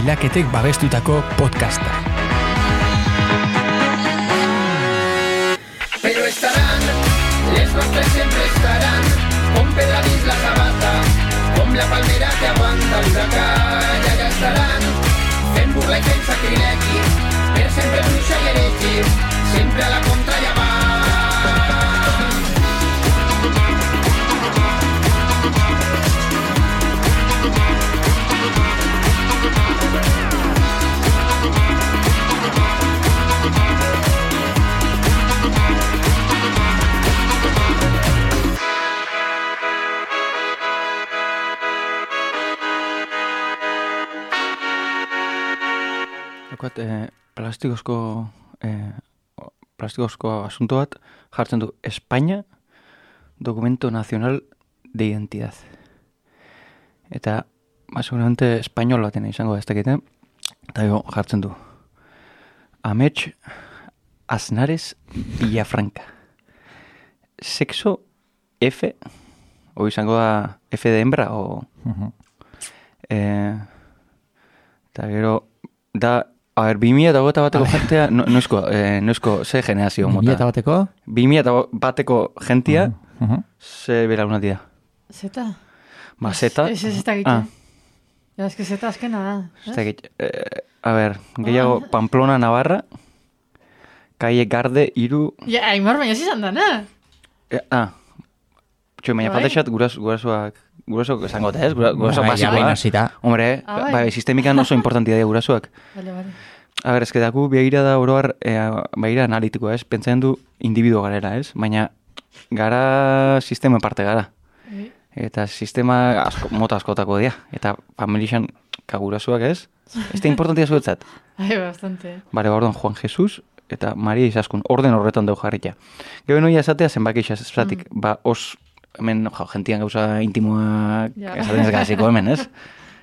aldaketek babestutako podcasta. Pero estarán, les nostres siempre estarán, con Pedra dins la sabata, com la palmera que aguanta l'huracà, i allà estaran, fent burla i fent sacrilegi, per sempre bruixa i heregi, sempre a la contra i avant. plastikozko asunto bat jartzen du España Documento Nacional de Identidad. Eta, seguramente espainol baten izango da ez dakite, eta jartzen du Amets Aznares Villafranca. Sexo F, o izango da F de hembra, o... eta gero, da... A ver, 2021 bateko jentea, noizko, ze generazio mota? 2000 bateko? 2000 bateko jentia, ze belaunaldi da? Zeta? Ba, zeta? Ez da gitu. Ja, eske zeta azkena da. Ez da gitu. A ver, gehiago, Pamplona, Navarra, Calle Garde, Iru... Ja, Aimar, baina zizan da, na? Baina faltaxat gurasoak esango da, ez? Gurasoak basikoa. Hombre, sistemikan oso importantia dira gurasoak. Vale. A ber, eske daku begira da oroar, begira analitikoa, ez? Pentsatzen du individuo garela, ez? Baina gara sistema parte gara. Eta sistema mota askotako dira. Eta familixan gurasoak, ez? Ez da importantia zuetzat. Bastante. Bare, orduan, Juan Jesus eta Maria Izaskun, orden horretan dugu jarritia. Gero noia esatea zenbaki esatik, hemen, gentian gauza intimoa esaten ez gaziko hemen, ez?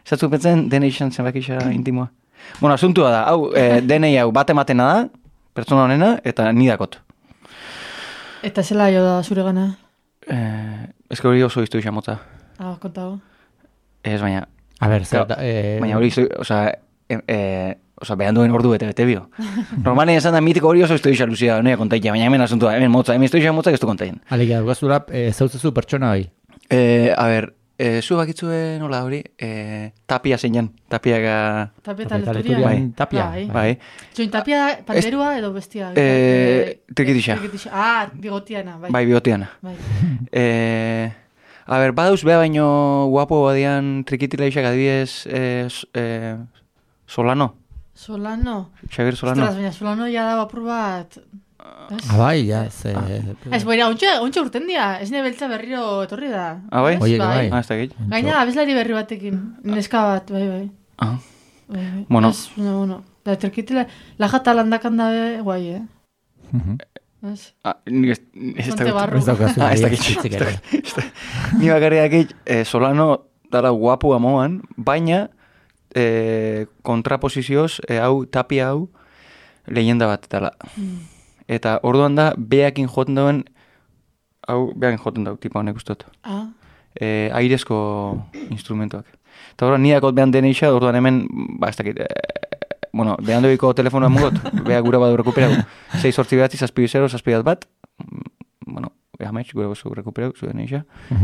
Esatzu pentzen, dene izan zenbaki intimoa. Bueno, asuntua da, hau, denei hau bat ematena da, pertsona honena, eta nidakot. Eta zela jo da zure gana? Ez hori oso iztu izan motza. Kontago. Ez, baina... A ber, zer da... Baina hori iztu, behan duen ordu bete bio. Normalen esan da mitiko hori oso iztu izan luzia, noia kontaitea, baina hemen asuntua, hemen iztu izan motza, ez du kontaien. Alegia, dugazula, zautzezu pertsona hori? A ber, zu bakitzue nola hori, Tapia zeinan, Tapiaga... Tapia eta Leturia. Tapia. Bai. Join Tapia, panderua edo bestia? Trikitixa. Bigotiana. Bai, bigotiana. A ber, badauz beha baino guapo badian trikitila isak adibidez Solano. Xavier Solano. Ostras, baina Solano ya da apur bat... Bai, ja, Ez, boira, ontsa urten dia, ez nebeltza berriro etorri da. Bai? Oie, bai. Ez da gehi. Gaina, abeslari berri batekin, neska bat, bai. Bueno. Da, terkitila, lajata landakan da, guai, Ez? Ez da gehi. Ni bakarriak gehi, Solano dara guapu amoan, baina kontraposizioz, hau, Tapia hau, leyenda bat dela. Eta orduan da, beakin joten dauen, tipa honek ustot. Airezko instrumentuak. Eta orduan, nidakot behan deneixa, orduan hemen, ez dakit, behan doiko telefonoa mugot, beha gura badu rekuperagu. 6-8-0, bat, Amets, gure gozu rekuperau, zuen eixa,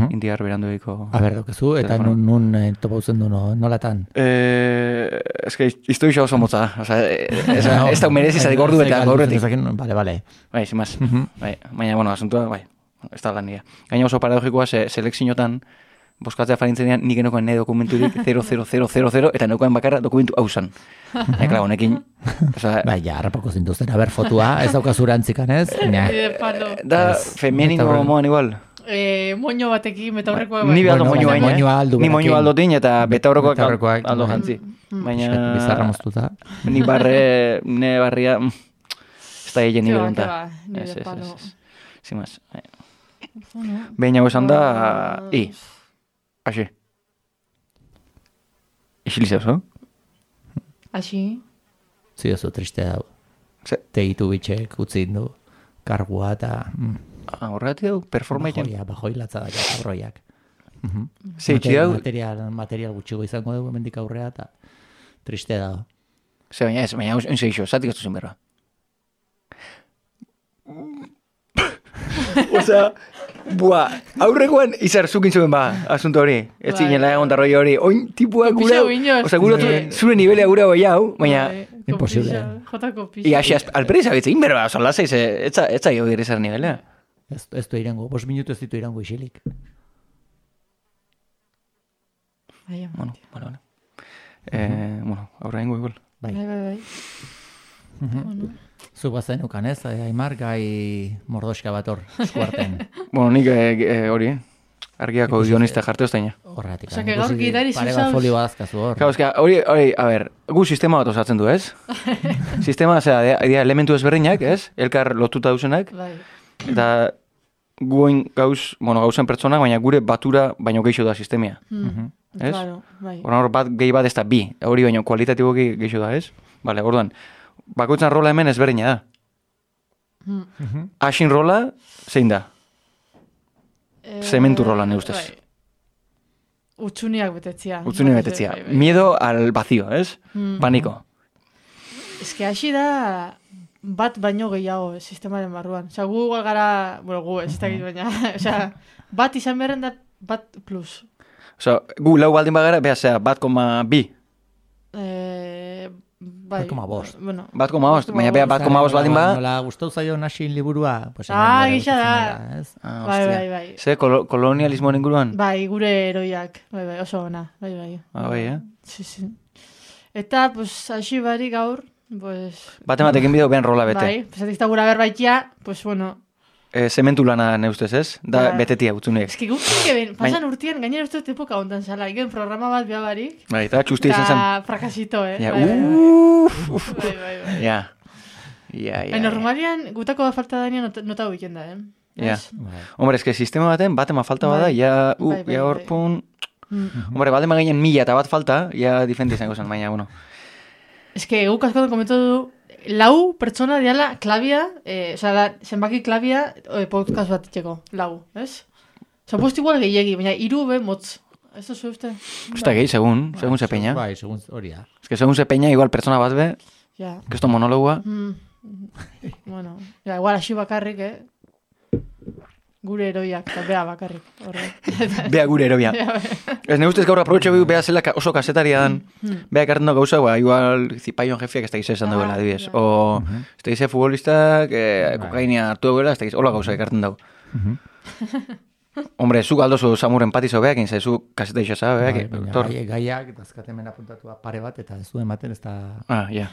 indiar berandoiko... A ber, dokezu, eta nun topauzen du nolatan? Ez que iztu isa oso motza, ez da merezi zatik ordu eta gaurretik. Bale. Bai, zimaz. Baina, asuntua, ez da lan nire. Gaina oso paradogikoa, selekzinotan, boskatzea farintzen dian, nik enokoen ne dokumenturik 00000, eta enokoen bakarra dokumentu hausan. Ekla, honekin... Bai, ja, harrapako zintuzten, haber fotua, ez daukazura antzikan, ez? Da, femenino moan igual. Moño batekin, betaurrekoa... Ni behaldo moño baina, ni moño aldo din, eta betaurrekoak aldo jantzi. Baina... Bizarra moztuta. Ni ne barria... Ez da egin nivel onta. Zimaz. Baina esan da... Aixi. Ixilize oso? Aixi? Zio oso triste hau. Tegitu bitxek utzin du. Kargua eta... Horregatik dugu, performaiken. Bajoi latza da kabroiak. Zeitzi dugu? Material gutxigo izango dugu, mendik aurrea eta... Triste da. Ze, baina ez, baina oin zeixo, zatik ez duzen berba. Osea, aurrekoan izar zukin zuen asunto hori. Ez zinela egon darroi hori. Oin tipua gura, osea, zure nivelea gura bai hau, baina... Imposible. Jotako pixa. Ia, alperi zabitzein berba, oza, lasaiz, etza jo direzar nivelea. Ez du irango, 5 minutu ez ditu irango isilik. Bueno. Bueno, aurra ingo igual. Bai. Zuk bazen ukan ez, Aimar, gai mordoska bat hor, eskuarten. Bueno, nik hori, argiako guionista jarte oztaina. Horretik. Osa, que gaur gidari Pare bat folio badazkazu hor. Claro, eska, hori, a ber, gu sistema bat osatzen du, ez? Sistema, osea, elementu ezberdinak, ez? Elkar lotuta duzenak. Bai. Eta guen gauzen pertsonak, baina gure batura baino gehiago da sistemia. Ez? Claro, bai. Hor bat gehi bat ez da bi. Hori baino kualitatiboki gehiago da, ez? Bale, orduan, bakoitzan rola hemen ezberdina da. Asin rola, zein da? Zementu rola, ne ustez. Bai. Utsuniak betetzia. Bai. Miedo al vacío, ez? Paniko. Ez que hasi da bat baino gehiago sistemaren barruan. Osa, gu igual gara, bueno, gu ez dakit baina, osa, bat izan beharren da bat plus. Osa, gu lau baldin bagara, beha zera, 1,2. Bai. 1,5. Bueno. 1,5, baina beha 1,5 baldin ba. Nola gustau zaio nasin liburua. Pues gisa da. Bai. Ze, kolonialismoen inguruan? Bai, gure heroiak. Bai, oso ona. Bai. Bai, Sí. Eta, pues, hasi bari gaur, pues... Batematekin bideo behan rola bete. Bai, pues, atik gura berbaitia, pues, bueno... Zementu lana neustez, ez? Da, betetia utzunek. Ez que guk pasan urtien, gainera uste epoka hontan zala, igen programa bat beha barik. Bai, eta txusti izan zen. Eta frakasito, Ja, Bai. Ja. Normalian, gutako da falta danean nota huiken da, Ja. Hombre, ez que sistema baten, batema falta bada, ja hor pun... Hombre, batema gainen 1000 eta bat falta, ja diferente izango zen, baina, bueno. Ez que guk askotan komentu du, lau pertsona diala klabia, zenbaki klabia podcast bat itxeko, lau, ez? Osa, post igual gehiagi, baina 3 be motz. Ez da uste? Usta gehi, segun ze peña. Bai, segun hori da. Ez que segun ze peña, igual pertsona bat be, que esto monologua. Bueno, igual hasi bakarrik, gure heroiak, eta bea bakarrik. Bea gure heroia. Ez ne ustez gaur aprobetxo bea zela oso kasetaria dan, bea ekarten da gauza, igual zipaion jefiak ez da gize esan duela, adibidez. O ez da gize futbolistak, kokainia hartu duela, ez da gize, hola gauza ekarten dago. Hombre, zu galdozu samuren patizo beak, inza, zu kaseta isa beak. Gaiak, dazkatemen apuntatua pare bat, eta ez du ematen, ez da... Ja.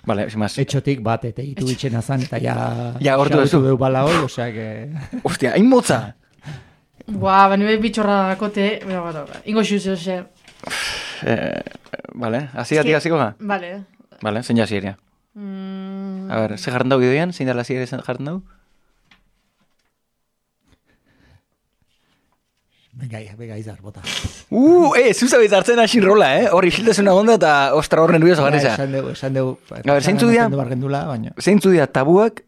Vale, sin más. Etxotik bat, eta itu bitxen azan, eta ja gortu duzu. Deu bala hoi, osea que... Ostia, hain motza! Nire bitxorra dakote, ingo xuz, ose... Vale, hasi hasiko ga? Vale, zein jasi eria. A ver, ze jarren dau gidoian? Zein dala ere jarren dau? Bega izar, bota. Zuzabitz hartzen asin rola, Hor isiltasuna gonda eta ostra horren nervioso garreza. Esan deu. A ver, zeintzu dia tabuak,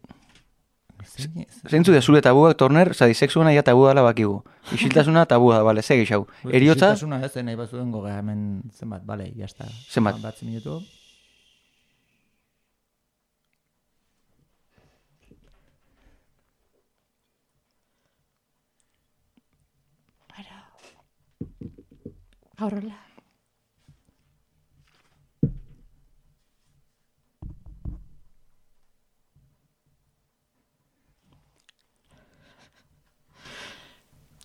zeintzu dia zure tabuak, Torner, zadi sexuana ja tabu dala bakigu. Isiltasuna tabua da, bale, segi xau. Eriotza? Isiltasuna ez, nahi bat zuen goga, hemen zenbat, bale, jazta. Zenbat? Batzi minutu. Horrela.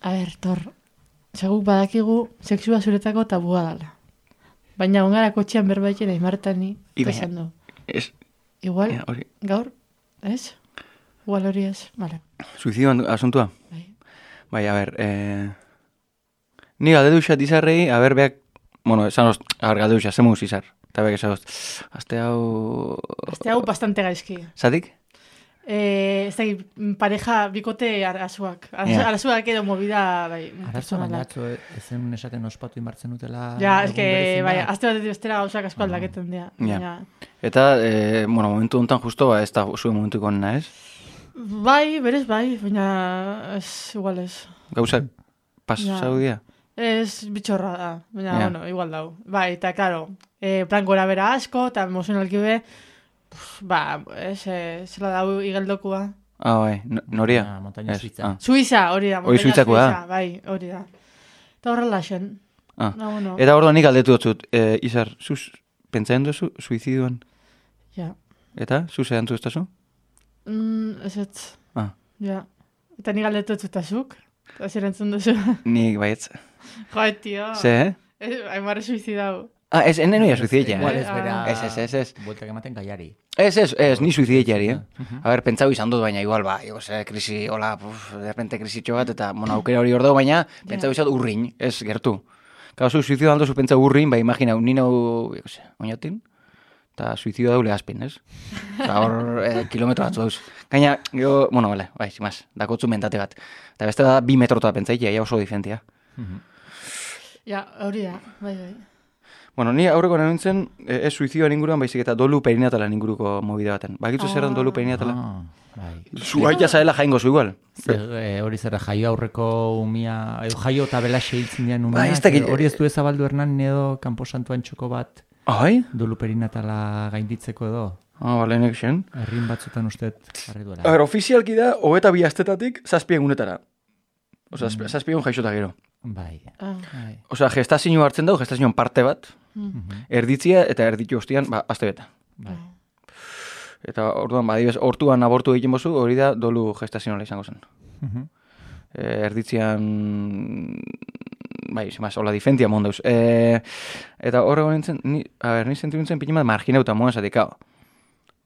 A ver, Tor, seguk badakigu sexua zuretako tabua dala. Baina ongara kotxean berbaitena Aimartani esan du. Igual, gaur, ez? Igual hori ez, vale. Suizidio asuntua? Bai, a ver, ni galdeduxat izarrei, a ber, beak, bueno, esan oz, a ber, galdeduxat, zemuz izar. Eta beak esan oz, azte hau bastante gaizki. Zatik? Ez da, pareja bikote arazuak. Arazuak edo movida, bai, personalak. Arazuak ezen esaten ospatu inbartzen utela... Ja, ez que, bai, azte bat bestera gauzak asko aldaketen dira. Eta, bueno, momentu honetan justo, ez da zuen momentuko nena, ez? Bai, berez bai, baina ez igual ez. Gauzak pasau dira? Ez bitxorra da, baina, bueno, igual dau. Bai, eta, claro, plan gora bera asko, eta emozionalki be, zela dau igeldokua. Bai, noria? Montaña Suiza. Suiza, hori da, Montaña Suiza, bai, hori da. Eta horrela xen. Bueno. Eta orduan nik aldetu dut, Izar, zuz pentsatzen duzu suiziduan? Ja. Eta, zuz edan duztazu? Ez. Ja. Eta nik aldetu dut zuk? Eta zer entzun duzu? Nik baietz. Joe, tio. Ze, Aimar suizidau. Ez, enen noia suizidea. Igual ez bera... Ez. Bueltak ematen gaiari. Ez, ni suizideiari, A ber, pentsau izan dut, baina igual, krisi, hola, de repente krisitxo bat, eta, aukera hori hor dago, baina pentsau izan urrin, ez, gertu. Gau, suizidu aldo zu pentsau urrin, imagina, nino, oinatin, eta suizidu daule azpin, ez? Hor, kilometro batzu dauz. Gaina, bai, zimaz, dakotzu mentate bat. Eta beste da, 2 metrota pentsaikia, ja oso diferentia. Ja, hori da, bai. Bueno, ni aurreko nintzen, ez suizioan inguruan, baizik eta dolu perinatalan inguruko mobide baten. Bakitzu zer den dolu perinatala? Zu aita zaela jaingo zu igual. Hori zera, jaio aurreko umia, jaio eta belaxe hiltzen dian umia. Hori ez du ezabaldu hernan edo kanposantuan txoko bat. Dolu perinatala gainditzeko edo. Bale, nek xen. Herrin batzutan usteet jarri duela. A ber, ofizialki da, 22 astetatik 7 egunetara. Osa, 7 egun jaixota gero. Bai. Osa, gestazio hartzen dago, gestazioan parte bat, erditzia eta erditu ostian, aste beta. Bai. Eta orduan, hortuan abortu egiten bozu, hori da dolu gestazionala izango zen. Erditzian, bai, zemaz, hola difentia mondauz. Eta horrego nintzen, ni sentimentzen pinimat marginauta moen zatik,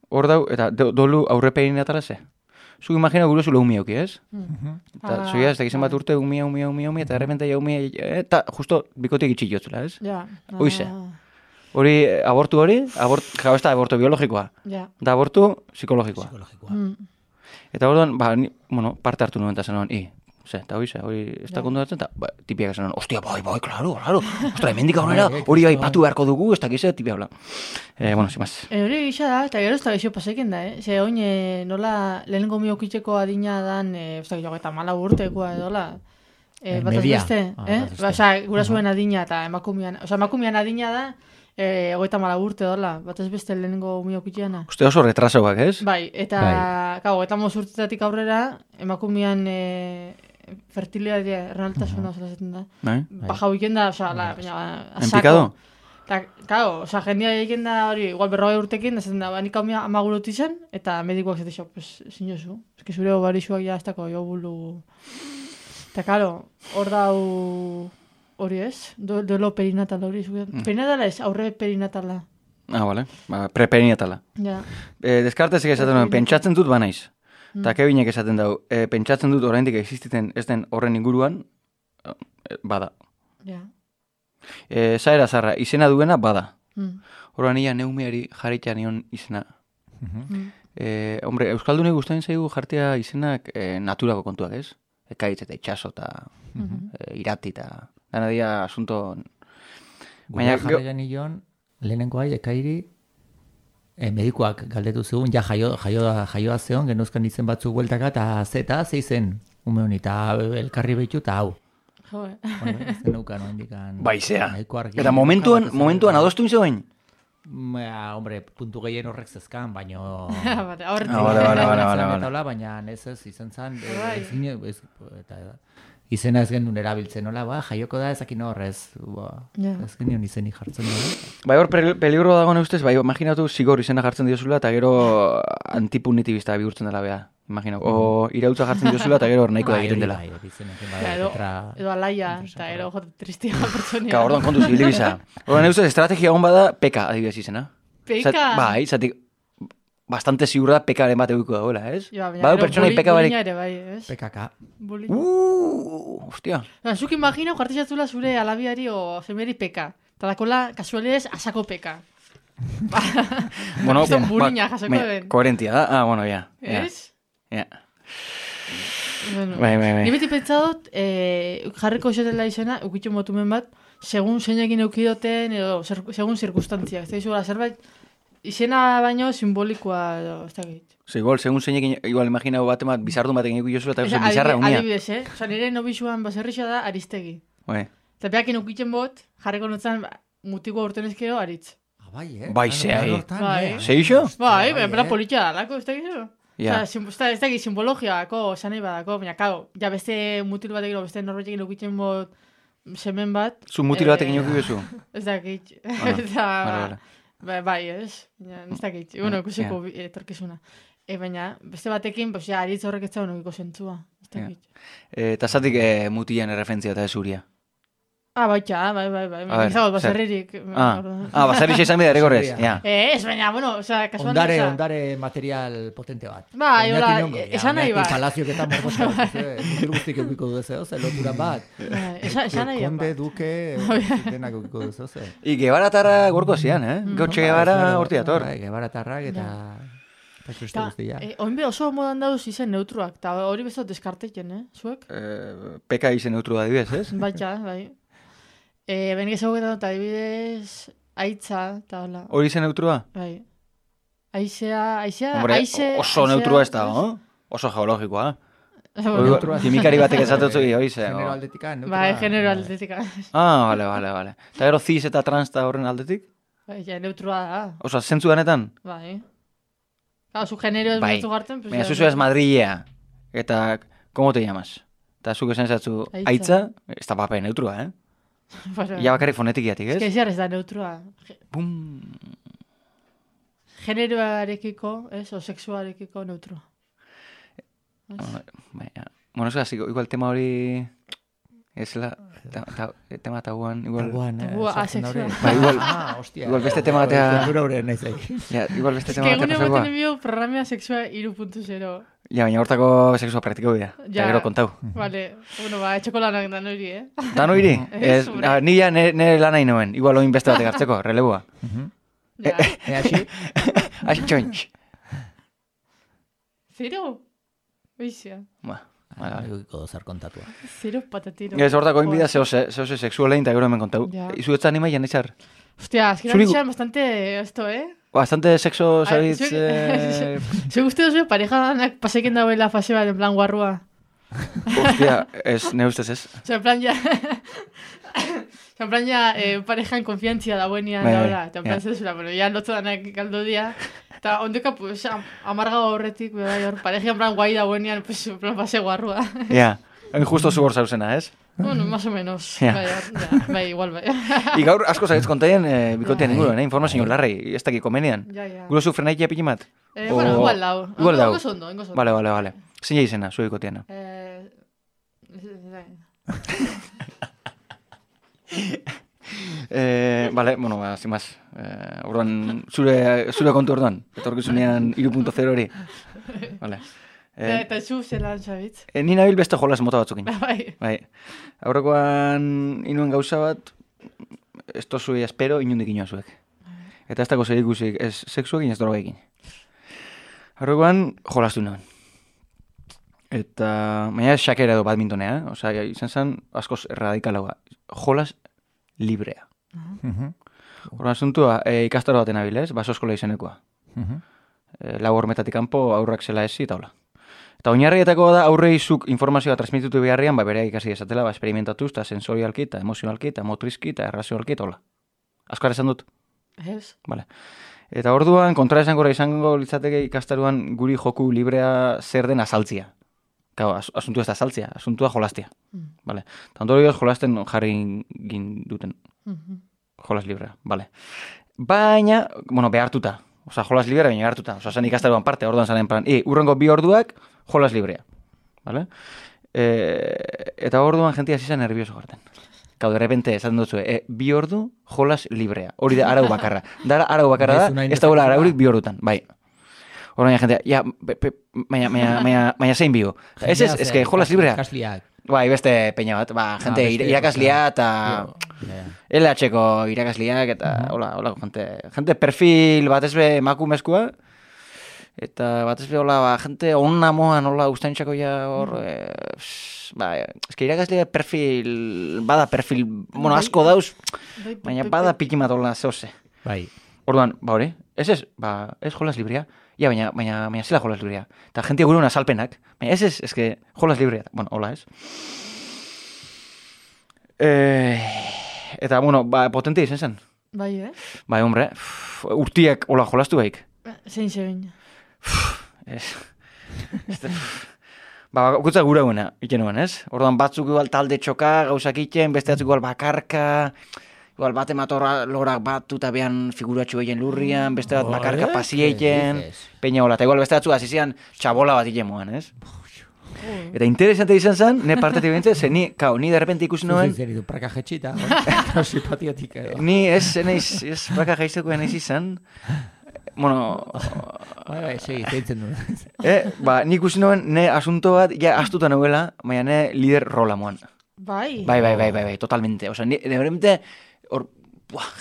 hor dau, eta dolu aurrepein atara ze. Zuk imagina gure zule umia auki, ez? Eta zuia, ez da gizan bat urte umia, eta errepente ja umia, eta justo bikotik itxillotzula, ez? Ja. Hoize. Hori, abortu hori, ez da abortu biologikoa. Ja. Da abortu psikologikoa. Eta orduan, parte hartu nuen eta zen eta hori ez da kontuatzen, eta tipiak esan, ostia, bai, klaro, ostra, hemendik aurrera, hori aipatu beharko dugu, ez da gizea, tipia, bla. Zimaz. Hori gisa da, eta gero ez da gizio pasaiken da, Ze oin, nola, lehenengo miokitzeko adina dan, ez da gizio, eta 4 urtekoa edola. Bataz beste, gura zuen adina, eta emakumean adina da, 34 urte dola, batez beste lehenengo umiokitzeana. Uste oso retrasoak, ez? Bai, eta 35 urtetatik aurrera, emakumean fertilidadea, erranaltasuna zaten da. Baja huiken da, baina... Enpikado? Claro, jendia egin da hori, igual 40 urtekin, da zaten da, nik hau amagurut izan, eta medikoak zaten zinozu. Ez que zure obarixuak ja ez dako, jo bulu... Eta, claro, hor dau... Hori ez? Duelo perinatala hori. Perinatala ez, aurre perinatala. Bale. Preperinatala. Ja. Deskartezik esaten duen, pentsatzen dut banaiz. Eta kebinek esaten dau, pentsatzen dut oraindik existiten ez den horren inguruan, bada. Ja. Zaera zarra, izena duena, bada. Horban ia neumeari jarritan nion izena. Hombre, Euskaldunei gustatzen zaigu jartia izenak naturako kontuak, ez? Ekaitz eta itxaso eta irati eta... Dana dia asunto... Baina jarraian nion, lehenenkoa ekairi, medikoak galdetu zegoen, ja jaioa zeon, genuzkan izen batzuk bueltaka, eta ze izen, ume honi, eta elkarri behitu, eta hau. Jo, Ez denukan, no indikan... Baizea. Eta momentuan adostu zegoen? Hombre, puntu gehien horrek zezkan, baino... Bale. Baina ez izan zan, izena ez genuen erabiltzen, nola, jaioko da ezakin horrez, ez genion izeni jartzen dira. Bai, hor peligro dago neustez, bai, imaginatu zigor izena jartzen diozula, eta gero antipunitibista bihurtzen dela, beha. Imaginau, o irautza jartzen diozula, eta gero nahiko da egiten dela. Edo alaia, eta gero jote tristia pertsonia. Orduan kontuz, hilibisa. Orduan neustez, estrategia hon bada, peka, adibidez izena. Peka? Bai, zatik, bastante ziurra pekaren bat eguiko dagoela, ez? Badu pertsonai peka barik. PKK. Hostia. Zuk imagina, jartizatzula zure alabiari o semeri peka. Eta dakola, kasualidez, asako peka. Bueno, bulina jasoko den. Koherentia da? Bueno, ya. Ez? Ja. Bai. Ni beti pentsat, jarriko esatela izena, ukitxo motumen bat, segun zeinekin eukidoten, edo segun zirkustantziak. Ez da zerbait, izena baino simbolikoa edo, ez da gait. Igual, segun zeinekin, igual imaginau bat bizardun batekin ikutu jozula, eta bizarra unia. Adibidez, nire nobixuan baserrixa da Aristegi. Bai. Eta behakin ukitzen bot, jarriko notzen mutiko urten ezkero aritz. Bai, Bai, zehai. Bai. Zeixo? Bai, bera politia dalako, ez da gizu. Ja. Ez da gizu simbologiako, sanei badako, baina, kau, ja beste mutil batekin, beste norbetekin ukitzen bot semen bat. Zu mutil batekin uki bezu? Ez da gitz. Bai, ez. Ez da gitz. Bueno, ikusiko etorkizuna. Baina, beste batekin, ja, aritz horrek ez da honokiko zentzua. Ez da gitz. Eta zatik mutilan erreferentzia eta ezuria? Baitxa, bai. Izagot, baserririk. Baserrik izan bida ere gorrez. Ez, baina, bueno, kasuan da. Ondare material potente bat. Bai, hola, esan nahi bat. Palaziok eta morbosa bat. Mutil guztik eukiko duzeo, lotura bat. Esan nahi bat. Konde, duke, denak eukiko duzeo. Gebaratarra gorko zian, Gautxe Gebara horti dator. Gebaratarrak eta... Oinbe oso modan dauz izen neutruak, eta hori bezot deskarteken, zuek? Peka izen neutrua adibidez, ez? Baitxa, bai. Benik ezaguketan dut adibidez aitza, eta hola. Hori izen neutrua? Bai. Aizea... Oso neutrua ez da, oso geologikoa. Kimikari batek ezatutzu hori ze. Genero aldetika, neutrua. Bai, genero aldetika. Vale. Eta gero cis eta trans da horren aldetik? Bai, neutrua da. Oso, zentzu danetan? Bai. Su genero ez benetu garten. Baina zuzu ez Madrilea. Eta, ¿cómo te llamas? Eta zuk esan zatzu aitza, ez da pape neutrua, Ia bakarrik fonetikiatik, ez? Ez da neutrua. Bum! Generoarekiko, ez? O sexuarekiko neutrua. Baina, bueno, ez gaziko, igual tema hori... Ez la... Tema tabuan, igual... Tabua, asexual. Igual beste tema batea... Igual beste tema batea... Egune baten enbio programea sexua 3.0. Ja, baina hortako sexua praktiko bida. Ja, gero kontau. Vale. Bueno, etxeko lanak dan hori, Dan hori? Ni ja nire lan nahi noen. Igual oin beste batek hartzeko, relebua. Aixi? Aixi txointx. Zero? Oizia. Egiko dozar kontatua. Zero patatiro. Ez hortako inbida zehose sexualein eta gero hemen kontau. Izu etza anima jan izar? Hostia, azkera nixan bastante esto, Bastante sexo zabitz... Ze guzti dozu pareja danak paseken dauela fase bat en plan guarrua? Hostia, ez, ne ustez ez. En plan ya parejan konfiantzia da buenian daura. En plan zezura, pero ya lotzo danak galdo dia. Eta ondeka, pues, amarga horretik, pareja en plan guai da buenian, pues, en plan fase guarrua. Ja, justo zu hor zauzena, ez? Bueno, más o menos. Bai, igual, bai. I gaur asko zaitz kontaien bikotean inguruen, informazio larrei, ez dakiko menean. Guro zu frenaikia pikimat? Bueno, igual dau. Igual dau. Ingo sondo. Vale. Zein izena, zu bikoteana? Vale, bueno, sin más. Orduan, zure kontu orduan. Etorkizunean 3.0 hori. Vale. Eta zu zelan zabitz? Ni nabil beste jolas mota batzukin. Bai. Aurrekoan inuen gauza bat, ez tozue espero inundik inoa zuek. Eta ez dako zer ikusik, ez sexuekin, ez drogekin. Aurrekoan jolastu nuen. Eta, baina xakera edo badmintonea, oza, izan zen askoz radikalagoa. Jolas librea. Horren asuntua, ikastaro baten abilez, baso eskola izenekoa. Lau hormetatik kanpo aurrak zela ezi eta hola. Eta oinarrietako da aurreizuk informazioa transmititu beharrian, bere ikasi esatela, esperimentatuz, eta sensorialki, eta emozionalki, eta motrizki, eta errazionalki, eta hola. Azkar esan dut? Ez. Vale. Eta orduan, kontra izango litzateke ikastaruan guri joku librea zer den azaltzia. Kau, asuntua ez da azaltzia, asuntua jolastia. Vale. Eta ondorioz jolasten jarri ginduten. Jolas librea, vale. Baina, bueno, behartuta. Osa, jolas librea baina behartuta. Osa, zen ikastaruan parte, orduan zaren plan, urrengo 2 orduak, jolas librea. Vale? Eta orduan jentia zizan nervioso garten. Kau, de repente, esaten dutzu, 2 ordu, jolas librea. Hori da arau bakarra. Dara arau bakarra da, ez da gula araurik 2 ordutan. Bai. Orduan jentia, ja, baina zein bio. Ez que jolas librea. Kasliak. Bai, beste peña bat, gente irakaslia eta LH-ko irakasliak eta hola, gente perfil bat ezbe emakumezkoa eta bat ezbe hola, gente onna moan hola ustantzako ja hor eske irakaslia bada perfil, bueno, asko dauz, baina bada pikimat hola zehose. Bai. Orduan, hori, ez jolas librea. Ja, baina zela jolas librea. Eta jentia gure azalpenak. Baina ez que jolas librea. Bueno, hola ez. Eta, bueno, potentia izan zen. Bai, Bai, hombre, urtiak hola jolastu baik. Zein zein. Okutza gura guena, ikenuen, ez? Orduan batzuk igual talde txoka, gauzak iten, beste batzuk igual bakarka, igual bate matorra lorak batu eta behan figuratxo egin lurrian, beste bat bakarka pasieiten, peina hola, eta igual beste batzuk azizian txabola bat iten moan, ez? Eta interesante izan zen, ne partetik bintzen, ze ni derrepente ikusi noen... Zuzen zeritu, praka jetxita, simpatiotik edo. Ni ez praka jaizteko enaiz izan, bueno... Bai, segi, zeitzen duen. Nik ikusi noen, ne asunto bat, ja astuta nuela, baina ne lider rola moan. Bai. Bai, totalmente. Osa, ni derrepente,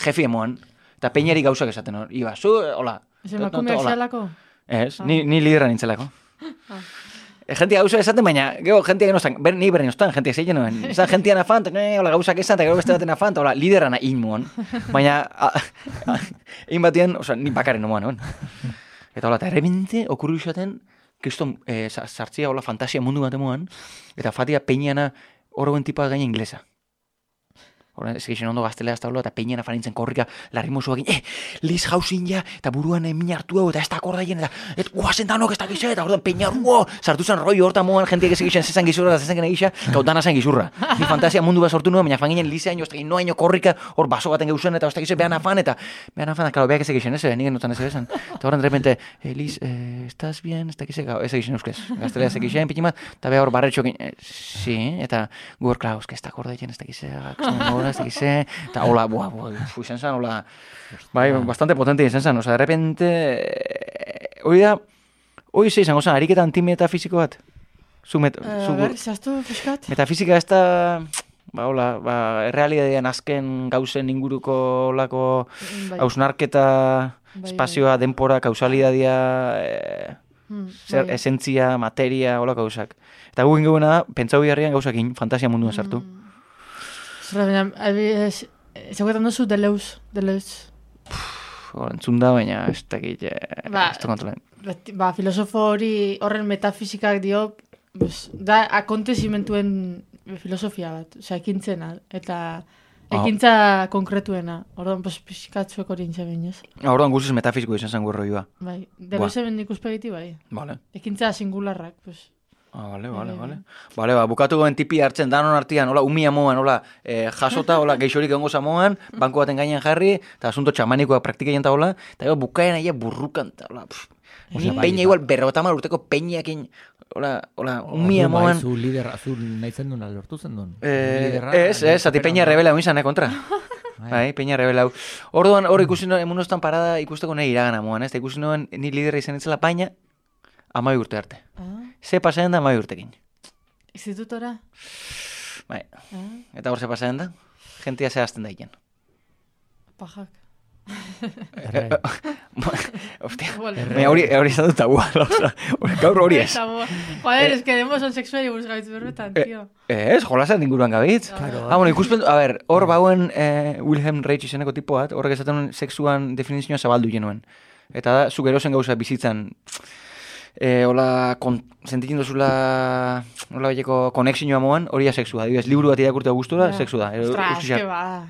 jefi emoan, eta peinari gauzak esaten hor. Iba, hola. Ez emakumeak zelako? Ez, ni lideran nintzelako. Jentia gauza esaten, baina, gero jentia genostan, ni berri nostan, jentia zeiten noen. Zan jentia nafant, hola gauzak esan, eta gero beste baten nafant, hola, liderana inmoan. Baina, egin batien, oza, ni bakaren nomoan, noen. Eta hola, eta errebente, okurru izaten, kriston, sartzia, hola, fantasia mundu bat emoan, eta fatia peñana horreuen tipa gaina inglesa. Horren, ez egin ondo gaztelea ez da eta peñana fanintzen korrika, larrimosu egin, Liz Hausin ja, eta buruan min hartu hau, eta ez da akordaien, eta guazen danok ez da gizet, eta horren peña, sartu zen roi horta moan, jenteak ez egiten zezan gizurra, eta zezan gena gisa, gau dana zen gizurra. Ni fantasia mundu bat sortu nuen, baina fanginen Lizeaino, ez da gino haino korrika, hor baso baten geuzen, eta ez da gizet behan afan, klaro, beak ez egiten, ez, nik enotan ez egiten. Eta horren, de repente, Liz, estás bien, ez da gizet, ez egiten euskez. Gaztelea ez egiten, pitimat, eta beha hor barretxo egin, sí, eta gu hor, klar, ez da akordaien, ez da gizet, eta hola, izan zen, hola, bai, bastante potente izan zen, oza, de repente, hoi ze izango zen, ariketa antimetafiziko bat? Zaztu fiskat? Metafizika ez da, hola, errealidadean azken gauzen inguruko olako hausnarketa, espazioa, denpora, kausalidadia, esentzia, materia, olako gauzak. Eta gugin gauena, pentsau biharrian gauzakin, fantasia munduan sartu. Zauketan duzu Deleuze. Entzun da, baina ez dakit, ez da kontrolen. Filosofo horren metafizikak dio, da akontezimentuen filosofia bat, ekintzena, eta ekintza konkretuena. Orduan, pixkatzuek hori intza behin, ez? Orduan guztiz metafiziko izan zen gurroioa. Bai, Deleuze ben ikuspegiti, bai. Ekintza singularrak, pues. Vale. Bukatu goen tipi hartzen danon artian, hola, umia moan, hola, jasota, hola, geixorik egongo zamoan, banko baten gainean jarri, eta asunto txamanikoa praktikean eta hola, eta gero bukaen aia burrukan, eta hola, ni peina igual berrotamar urteko peinakin, hola, umia moan. Zu lider azul nahi zen duen, lortu zen duen? Zati peina rebela izan, kontra. Bai, peina rebela. Orduan, hor ikusi noen, emunostan parada ikusteko nahi iragana moan, eta ikusi noen, ni lidera izan itzela paina, 12 urte arte. Ze pasatzen da 12 urtekin. Institutora? Bai. Eta hor ze pasatzen da? Gentia ze azten daiken. Pajak. Hostia. Hori izan dut tabua. Gaur hori ez. Joder, es que demos on sexuari buruz gabitz berbetan, tío. Ez, jolasan inguruan gabitz. Bueno, ikuspen, a ver, hor bauen Wilhelm Reich izeneko tipoat, horrek esaten sexuan definizioa zabaldu genuen. Eta da, zu gerozen gauza bizitzan, hola, sentitzen duzula, hola belleko konexioa moan, hori da sexua. Dibes, liburu bat irakurtea gustura, sexua da. Ostras, que ba.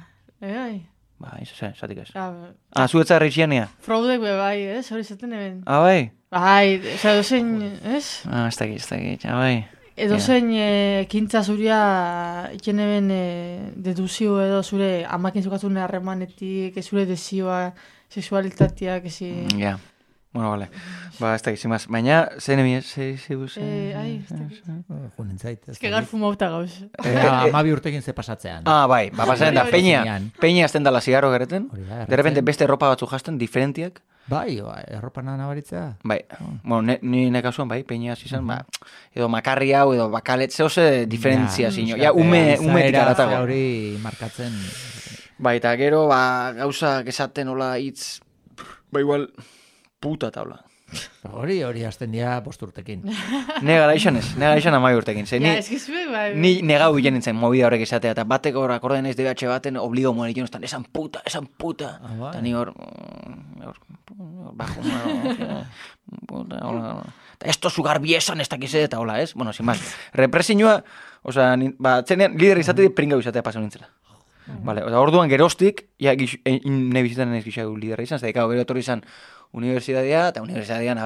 Ba, zatik ez. Zuetza Reichiania? Freudek be bai, ez? Hori zaten eben. Bai? Bai, oza, edozein, ez? Ez dakit, bai. Edozein ekintza zuria iken eben deduzio edo zure amakin zukatzune harremanetik, zure desioa, sexualitateak, ezi... Ja. Bueno, vale. Ba, ez da gizimaz. Baina, zen emi, ez dakit. Junen zait. Ez que gar fumauta gauz. 12 urtekin ze pasatzean. Bai, pasatzen da, peña azten dala zigarro gereten. De repente beste erropa batzu jazten, diferentiak. Bai, erropa nabaritzea. Bai, bueno, ni nekasuan, bai, peña izan, edo makarri hau, edo bakalet, zehose diferentzia zino. Ja, umetik aratago. Hori markatzen. Bai, eta gero, gauzak esaten hola hitz, ba igual... puta taula. Hori hasten dira 5 urtekin. Ne garaixan 10 urtekin. Ja, eskizuek, bai. Ni negau bilen nintzen movida horrek izatea, eta bateko hor akorden ez DBH baten obligo moen ikin, esan puta. Eta ni hor bajo, puta, esto sugar biesan ez dakize, eta hola, ez? Bueno, sin más. Represinua, osea, txenean, lider izate pringau izatea pasau nintzela. Vale, orduan gerostik, ja, ne bizitan ez gixau liderra izan, zedekau gero etorri izan universidadia, eta universidadian,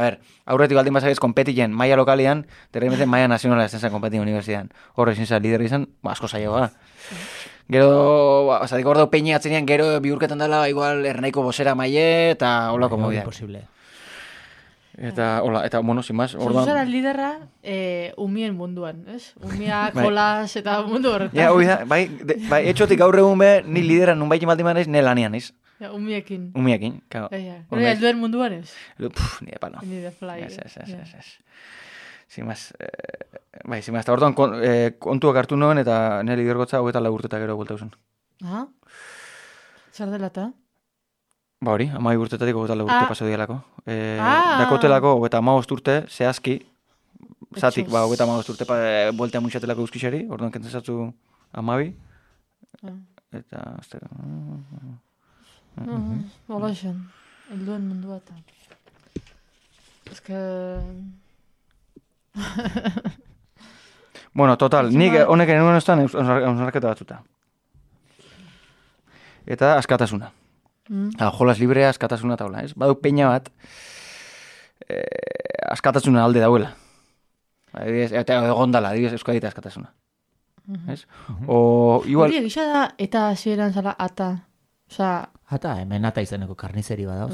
aurretik baldin bazagez kompetilen maia lokalian, derremeten maia nazionala ez zen kompetilen universidadean. Horre izan zen liderra izan, asko zaioa. Gero, zatik ordo peini atzenean, gero bihurketan dela, igual, ernaiko bosera maie, eta hola komo bidak. Imposible. Eta, hola, eta, bueno, sin más, orduan... Zuzara liderra, umien munduan, ez? Umiak, jolas, eta mundu horretan. Ja, hoi da, bai, etxotik gaur egun be, ni lideran nun baikin baldiman ez, ne lanian ez. Ja, umiekin. Umiekin, kao. Hori alduen munduan ez? Ni de palo. Ni de fly. Ez. Sin más, bai, sin más, eta orduan kontuak hartu noen, eta ne lidergotza hogeita lagurtetak gero bulta usun. Aha. Zer dela eta? Ba hori, 12 urtetatik hogeita lagurte paso dialako. Dakotelako hogeita 15 urte, zehazki, zatik, hogeita 15 urte bueltea muixatelako euskixari, orduan kentzen zatzu 12. Eta, aztera... Hola esan, helduen mundu bat. Ez que... Bueno, total, nik honek enuen ostan eusnarketa batzuta. Eta askatasuna. Jolas librea askatasuna taula, ez? Badu peña bat, askatasuna alde dauela. Eta egondala, adibidez, euskadita askatasuna. Ez? O, igual... Hori egisa da, eta hasieran zala ata. Osa... Ata, hemen ata izeneko karnizeri bada.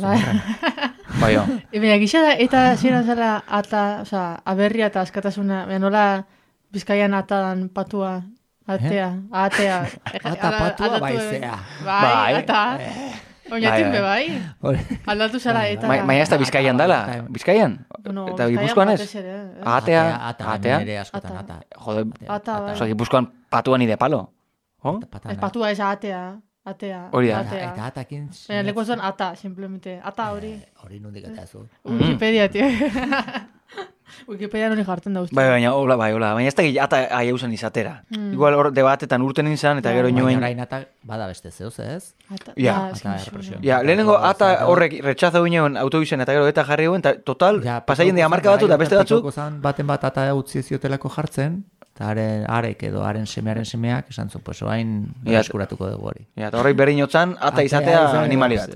Bai, jo. Baina egisa da, eta hasieran zala ata, osa, aberria eta askatasuna, nola Bizkaian atadan patua, atea. Ata patua baizea. Bai, ata. Oinatin be bai. Aldatu zara eta... Baina ez da Bizkaian dala. Bizkaian? Eta Gipuzkoan ez? Atea. Nire askotan, ata. Jode, ata. Gipuzkoan patuan ide palo. Patua ez atea. Hori da. Eta atakin... Baina leko zuen ata, simplemente. Ata hori. Hori nondik eta zu. Wikipedia, tío. Wikipedia nori jartzen da uste. Baina ez da ata aieusen izatera. Igual hor debatetan urten izan, eta gero inoen... Baina orain ata bada beste zeuz, ez? Ja, lehenengo ata horrek retxaza uinean autobisen eta gero eta jarri guen, eta total, pasaien dira marka batu, eta beste batzuk... Baten bat ata utzi ziotelako jartzen, eta arek edo haren semeak esan zu, pues oain eskuratuko dugu hori. Ja, eta horrek berri notzan, ata izatea animali bat.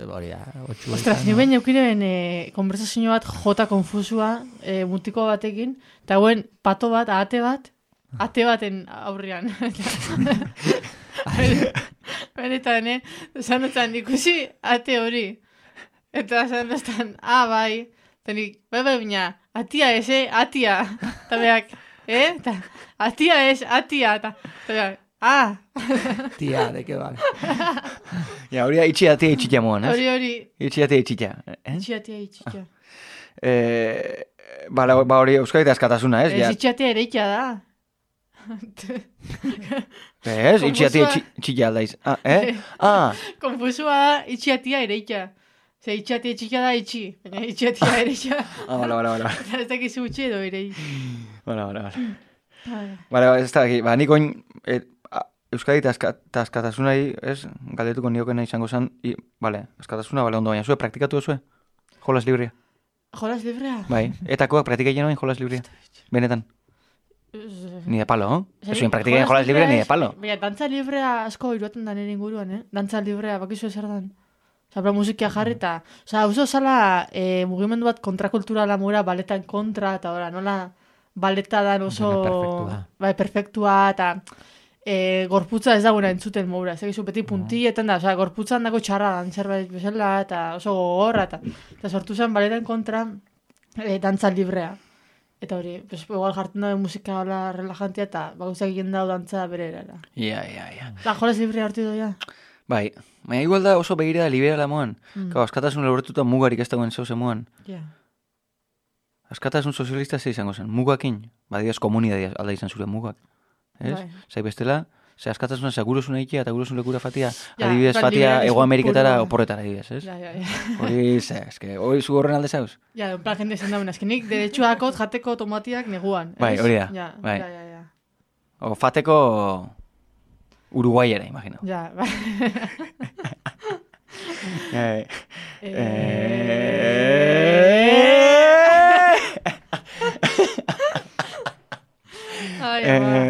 Ostras, ni behin eukiren konversazio bat jota konfusua mutiko batekin, eta guen pato bat, ate baten aurrian. Benetan, zanotan ikusi ate hori. Eta zanotan, bai, tenik, bai, bina, atia eze, atia. Eta beak, eta atia ez, atia. Eta beak, Tia, de que vale. Ja, hori da itxiatia itxitia moan, ez? Hori. Itxiatia itxitia. Itxiatia. Ba hori euskadita askatasuna, ez? Ez itxiatia ereikia da. Ez, itxiatia itxitia aldaiz. Konfusua da itxiatia ereikia. Ze itxiatia itxikia da itxi, baina itxiatia ereikia. Bala. Ez dakizu utxe edo erei. Bala. Ez da, nik oin... Euskadi eta askatasunai, ez, galdetuko niokena izango zen, askatasuna, ondo baina, zue, praktikatu zue? Jolas librea? Jolas librea? Bai, etakoak praktikaien oin jolas librea? Benetan? Ni de palo, Ez zuen praktikaien jolas librea, ni de palo. Baina, dantza librea asko iruaten da nire inguruan, Dantza librea, bakizu ezer dan. Zabra musikia jarri eta... Oso zala mugimendu bat kontrakulturala mura, baletan kontra, eta nola baleta dan oso... Perfektua, eta... gorputza ez dagoena entzuten moura, ez egizu beti puntietan da, gorputzan dago txarra dan zerbait bezala, eta oso gogorra, eta sortu zen baletan kontra dantza librea. Eta hori, igual jartzen dago musika relajantia, eta bauzak egin dago dantza bere erara. Ja. La jolas librea hartu doia? Bai, baina igual da oso begirada liberala moan. Askatasun lortuta mugarik ez dagoen zeuze moan. Askatasun sozialista ze izango zen, mugakin, badioz komunidadiaz alda izan zure mugak. Ez? Zai bestela, Ze askatasuna, segurosun egitea eta gurosun lekura fatia, adibidez fatia Ego Ameriketara oporretara, adibidez, ez? Ja. Hori, hori zu horren alde zauz? Ja, en plan, jende esan dauen, nik derechuakot jateko tomatiak neguan. Bai, hori da. Ja. O fateko Uruguayera, imagino. Ja, bai.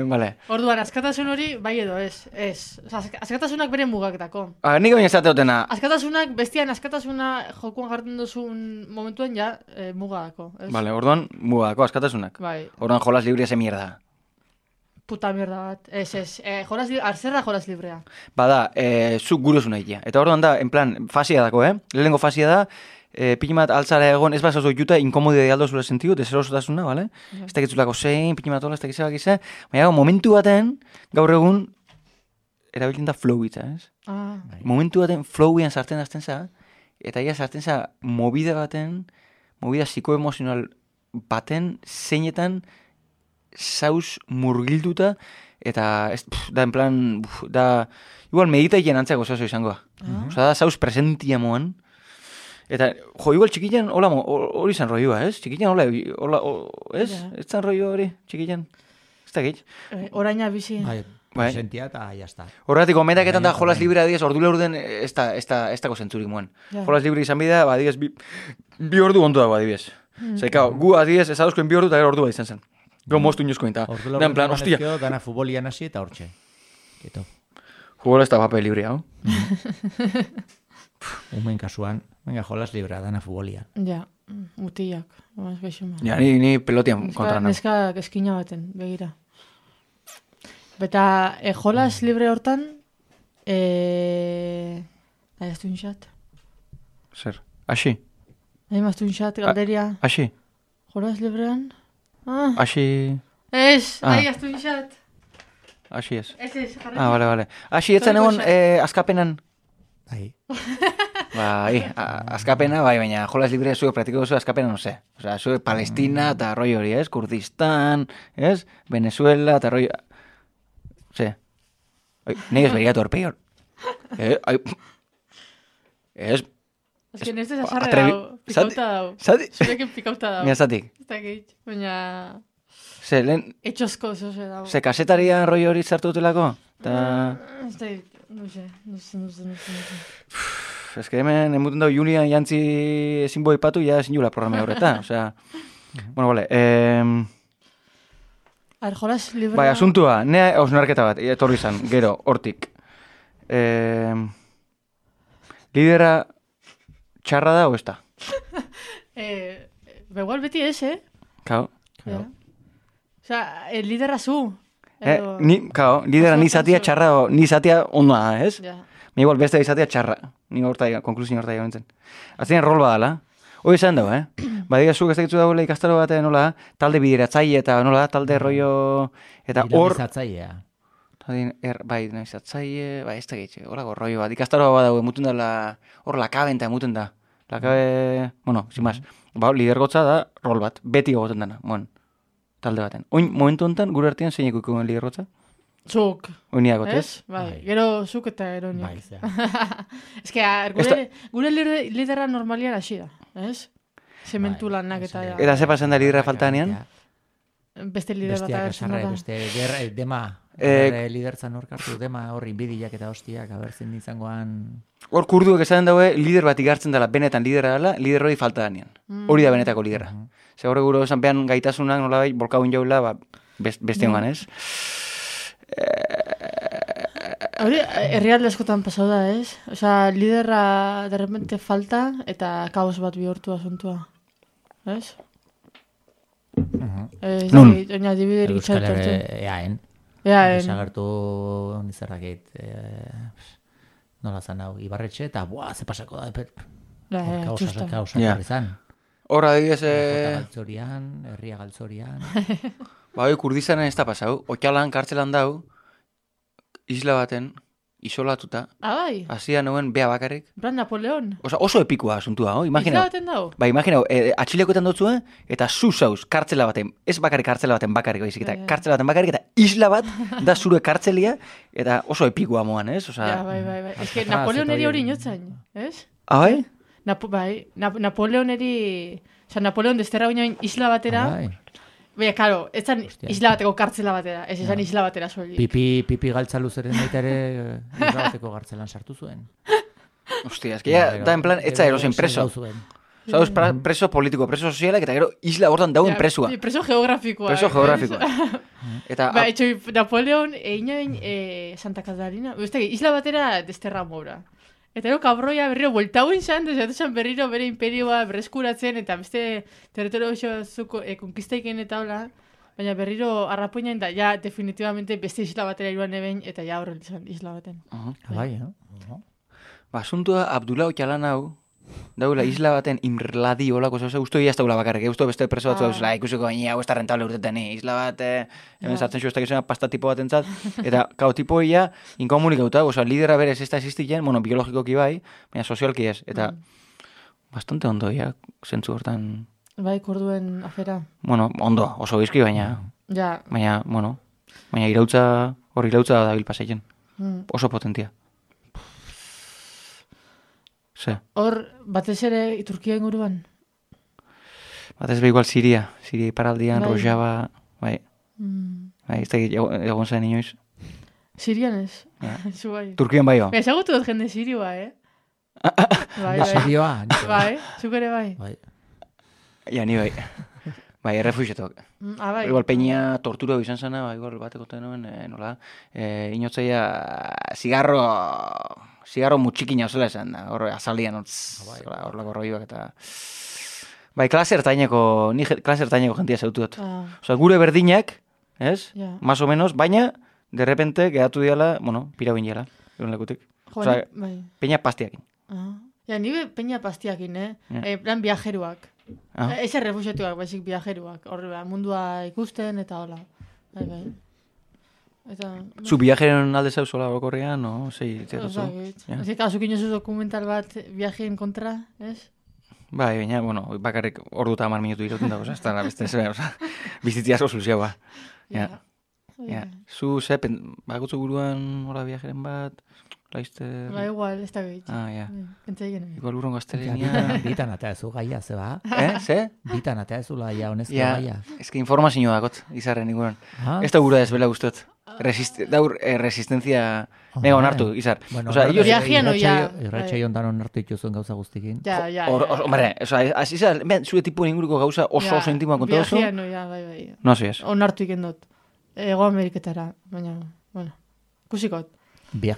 Vale. Orduan, askatasun hori, bai edo, ez. Askatasunak bere mugaketako. Nik baina esate dutena. Askatasunak, bestian askatasuna jokuan jartzen duzun momentuan ja mugako. Vale, orduan mugako askatasunak. Bai. Orduan jolas libre ese mierda. Puta mierda bat. Arzerra jolas librea. Bada, zuk gurosuna egitea. Eta orduan da, en plan, fasia dako, Lehenengo fasia da, pinimat altzara egon, ez bazazo juta, inkomodide de aldo zure sentidu, deserosotasuna, bale? Ez dakitzulako zein, pinimat hola, ez dakizabak izan. Baina, momentu baten, gaur egun, erabiltzen da flow itza, ez? Momentu baten, flowian sartzen azten za, eta ia sartzen za, movida psikoemozional baten, zeinetan, zauz murgilduta, eta, da, en plan, da, igual meditaien antzako zazo izangoa. Osa, da, zauz presentia moan. Eta, igual txikitan, hori zan roioa, ez? Txikitan, ez? Ez zan roio hori, txikitan. Ez da gitz. Oraina bizi. Presentia eta jazta. Horretik, omendaketan da jolas libre adiez, ordule orden, ez dako zentzurik moan. Jolas libre izan bida, adiez, bi ordu ondo dago, adiez. Zekao, gu adiez, ez adozkoen bi ordu eta ordu bat izan zen. Gau moztu inoizkoen, eta, da, en plan, hostia. Dana futbolian hasi eta hortxe. Keto. Jugola ez da papel libre, hau. Umen kasuan, venga, jolas libra, dana futbolian. Ja, mutillak. Ja, ni pelotian kontra nago. Neska eskina baten, begira. Beta, jolas libre hortan, ahaztu inxat. Zer, asi? Ahaztu inxat, galderia. Asi? Jolas librean? Asi... Ez, ahaztu inxat. Asi ez. Ez, jarri. Vale. Asi, etzen egon askapenan. Bai. Bai, askapena, bai, baina jolas libre zuek praktiko duzu askapena, no sé. Osa, zuek Palestina eta roi hori, ez? Kurdistan, ez? Venezuela eta roi... Ze? Nei ez berigatu horpeion. Ez... Ez que neste zasarre dau, pikauta dau. Zati? Zurekin pikauta dau. Mira, zatik. Ez dakit, baina... Ze, lehen... Etxosko zoze dau. Ze, kasetarian roi hori zartu dutelako? Ez dakit, no sé. Ez que hemen emuten dau Julian jantzi ezin boi patu, ja ezin jula programa horreta. Osea, bueno, vale. Jolas libra... Bai, asuntua, nea osnarketa bat, etorri izan, gero, hortik. Lidera... Txarra da, o ez da? Begual beti ez, Kao. Osa, lidera zu. Lidera ni zatia txarra, ni zatia onda, ez? Ja. Mi igual beste izatea txarra. Ni konklusin horta egon zen. Aztien rol badala. Hoi esan dago, Badiga zuk ez dakitzu dagoela ikastaro bat, nola, talde bideratzaile eta nola, talde rollo... Eta hor... Dinamizatzailea. Bai, dinamizatzaile, bai, ez da gitxe, horako rollo bat. Ikastaro bat dago, emuten da, hor lakaben eta emuten da. Lakabe, bueno, sin más. Ba, lidergotza da rol bat, beti egoten dana, talde baten. Oin, momentu honetan, gure artean zein ikuiko lidergotza? Zuk. Oin eagotez? Bai, gero zuk eta eroniak. Bai, Ez que, gure lidera normalian hasi da, ez? Zementu lanak eta... Eta ze pasen da lidera faltanean? Beste lider bat agertzen da. Beste dema, lidertzan horkartu, dema horri bidiak eta hostiak, abertzen izangoan... Hor kurduek esaten daue, lider bat igartzen dela, benetan lidera dela, lider hori falta danean. Hori da benetako lidera. Ze horre gure esan pean gaitasunak, nola bai, bolkagun jaula, beste hongan, ez? Hori, herrialde askotan pasau da, ez? Osa, liderra de repente falta, eta kaos bat bihurtu asuntua. Ez? Nun? Oina dibiderik txaltortzen. Eaen. Desagertu nizarrakit... Nola zan hau, Ibarretxe, eta ze pasako da, kausa izan. Horra, adibidez... Galtzorian, herria galtzorian... Ba, hori Kurdistanen ez da pasau. Otxalan, kartzelan dau, isla baten, isolatuta. Bai. Hasia noen bea bakarrik. Bran Napoleon. Oso epikoa asuntua, imagina. Isla baten dago? Ba, imagina, atxilekoetan dutzue, eta zuzauz, kartzela baten, ez bakarrik kartzela baten bakarrik, baizik, eta kartzela baten bakarrik, eta isla bat, da zure kartzelia, eta oso epikoa moan, ez? Ja, bai. Ez que Napoleoneri hori inotzain, ez? Bai? Napoleoneri... Osa, Napoleon desterra baina isla batera... Baina, karo, ez zan isla bateko kartzela batera, ez zan isla batera soilik. Pipi galtza luzeren baita ere isla bateko gartzelan sartu zuen. Hostia, es que ya da en plan, etza erosin preso. Zauz, preso politiko, preso sozialak, eta gero isla hortan dauen presua. Preso geografikoa. Preso geografikoa. Ba, etxo, Napoleon, egin Santa Catarina, isla batera desterra mora. Eta gero kabroia berriro bueltauen zan, desatuzen berriro bere imperioa berreskuratzen, eta beste territorio zuko konkistaiken eta hola, baina berriro arrapoinain da, ja, definitivamente beste isla batera iruan eben, eta ja horrel izan isla baten. Bai, Ba, asuntua Abdullah Ocalan hau, daula isla baten imrladi holako zauze, usto ia ez daula bakarrik, usto beste preso batzu dauzela, ikusiko baina hau ez da rentable urteten, isla bat, hemen sartzen zu ez da pasta tipo bat entzat, eta kao tipo ia inkomunikauta, oza, lidera berez ez da existiken, bueno, biologikoki bai, baina sozialki ez, eta bastante ondo ia, zentzu hortan. Bai, korduen afera. Bueno, ondo, oso bizki, baina, baina, bueno, baina hor irautza da bilpaseien, oso potentia. Hor, batez ere Turkia inguruan? Batez be igual Siria iparaldian, Rojava, bai. Bai, ez da egon zen inoiz. Sirian ez? Zu bai. Turkian bai ba. Ezagutu dut jende Sirioa, Bai. Sirioa? Bai, zuk ere bai. Ja, ni bai. Bai, errefuxetok. Bai. Igual peña tortura izan zena, igual bateko tenuen, nola, inotzaia zigarro mutxikina zela esan da, hor azaldian hor lako roibak eta... Bai, klase ertaineko jentia zautu dut. Osa, gure berdinak, ez? Más o menos, baina, de repente, gehatu diala, bueno, pirauin diala, egun lekutik. Osa, peña pastiakin. Ja, nire peña pastiakin, plan viajeruak. Ez errefuxetuak, baizik viajeruak. Horre, mundua ikusten eta hola. Bai. Zu viajeren alde zauz hola orokorrean, no? Zei, zeratu? Ez azuk inozu dokumental bat viajeen kontra, ez? Bai, baina, bueno, bakarrik ordu eta 10 minutu irauten dago, ez da, beste, bizitzia asko zuzioa. Zu, bakutzu buruan hola viajeren bat, laizter... Ba, igual, ez da gehitz. Igual urron gaztelenia... Bitan atea ezu gaia, zeba? Ze? Bitan atea ezu gaia, honezko gaia. Ez que informazio dakot, izarren iguran. Ez da gura ez bela guztot. Daur resistencia mega onartu, izar. Viajean oia. Irratxai ondan onartu dituzuen gauza guztikin. Hombre, izar, zure tipuen inguruko gauza oso intimoa konta oso. Viajean oia, bai. No, así es. Onartu ikendot. Ego Ameriketara, baina, bueno, kusikot.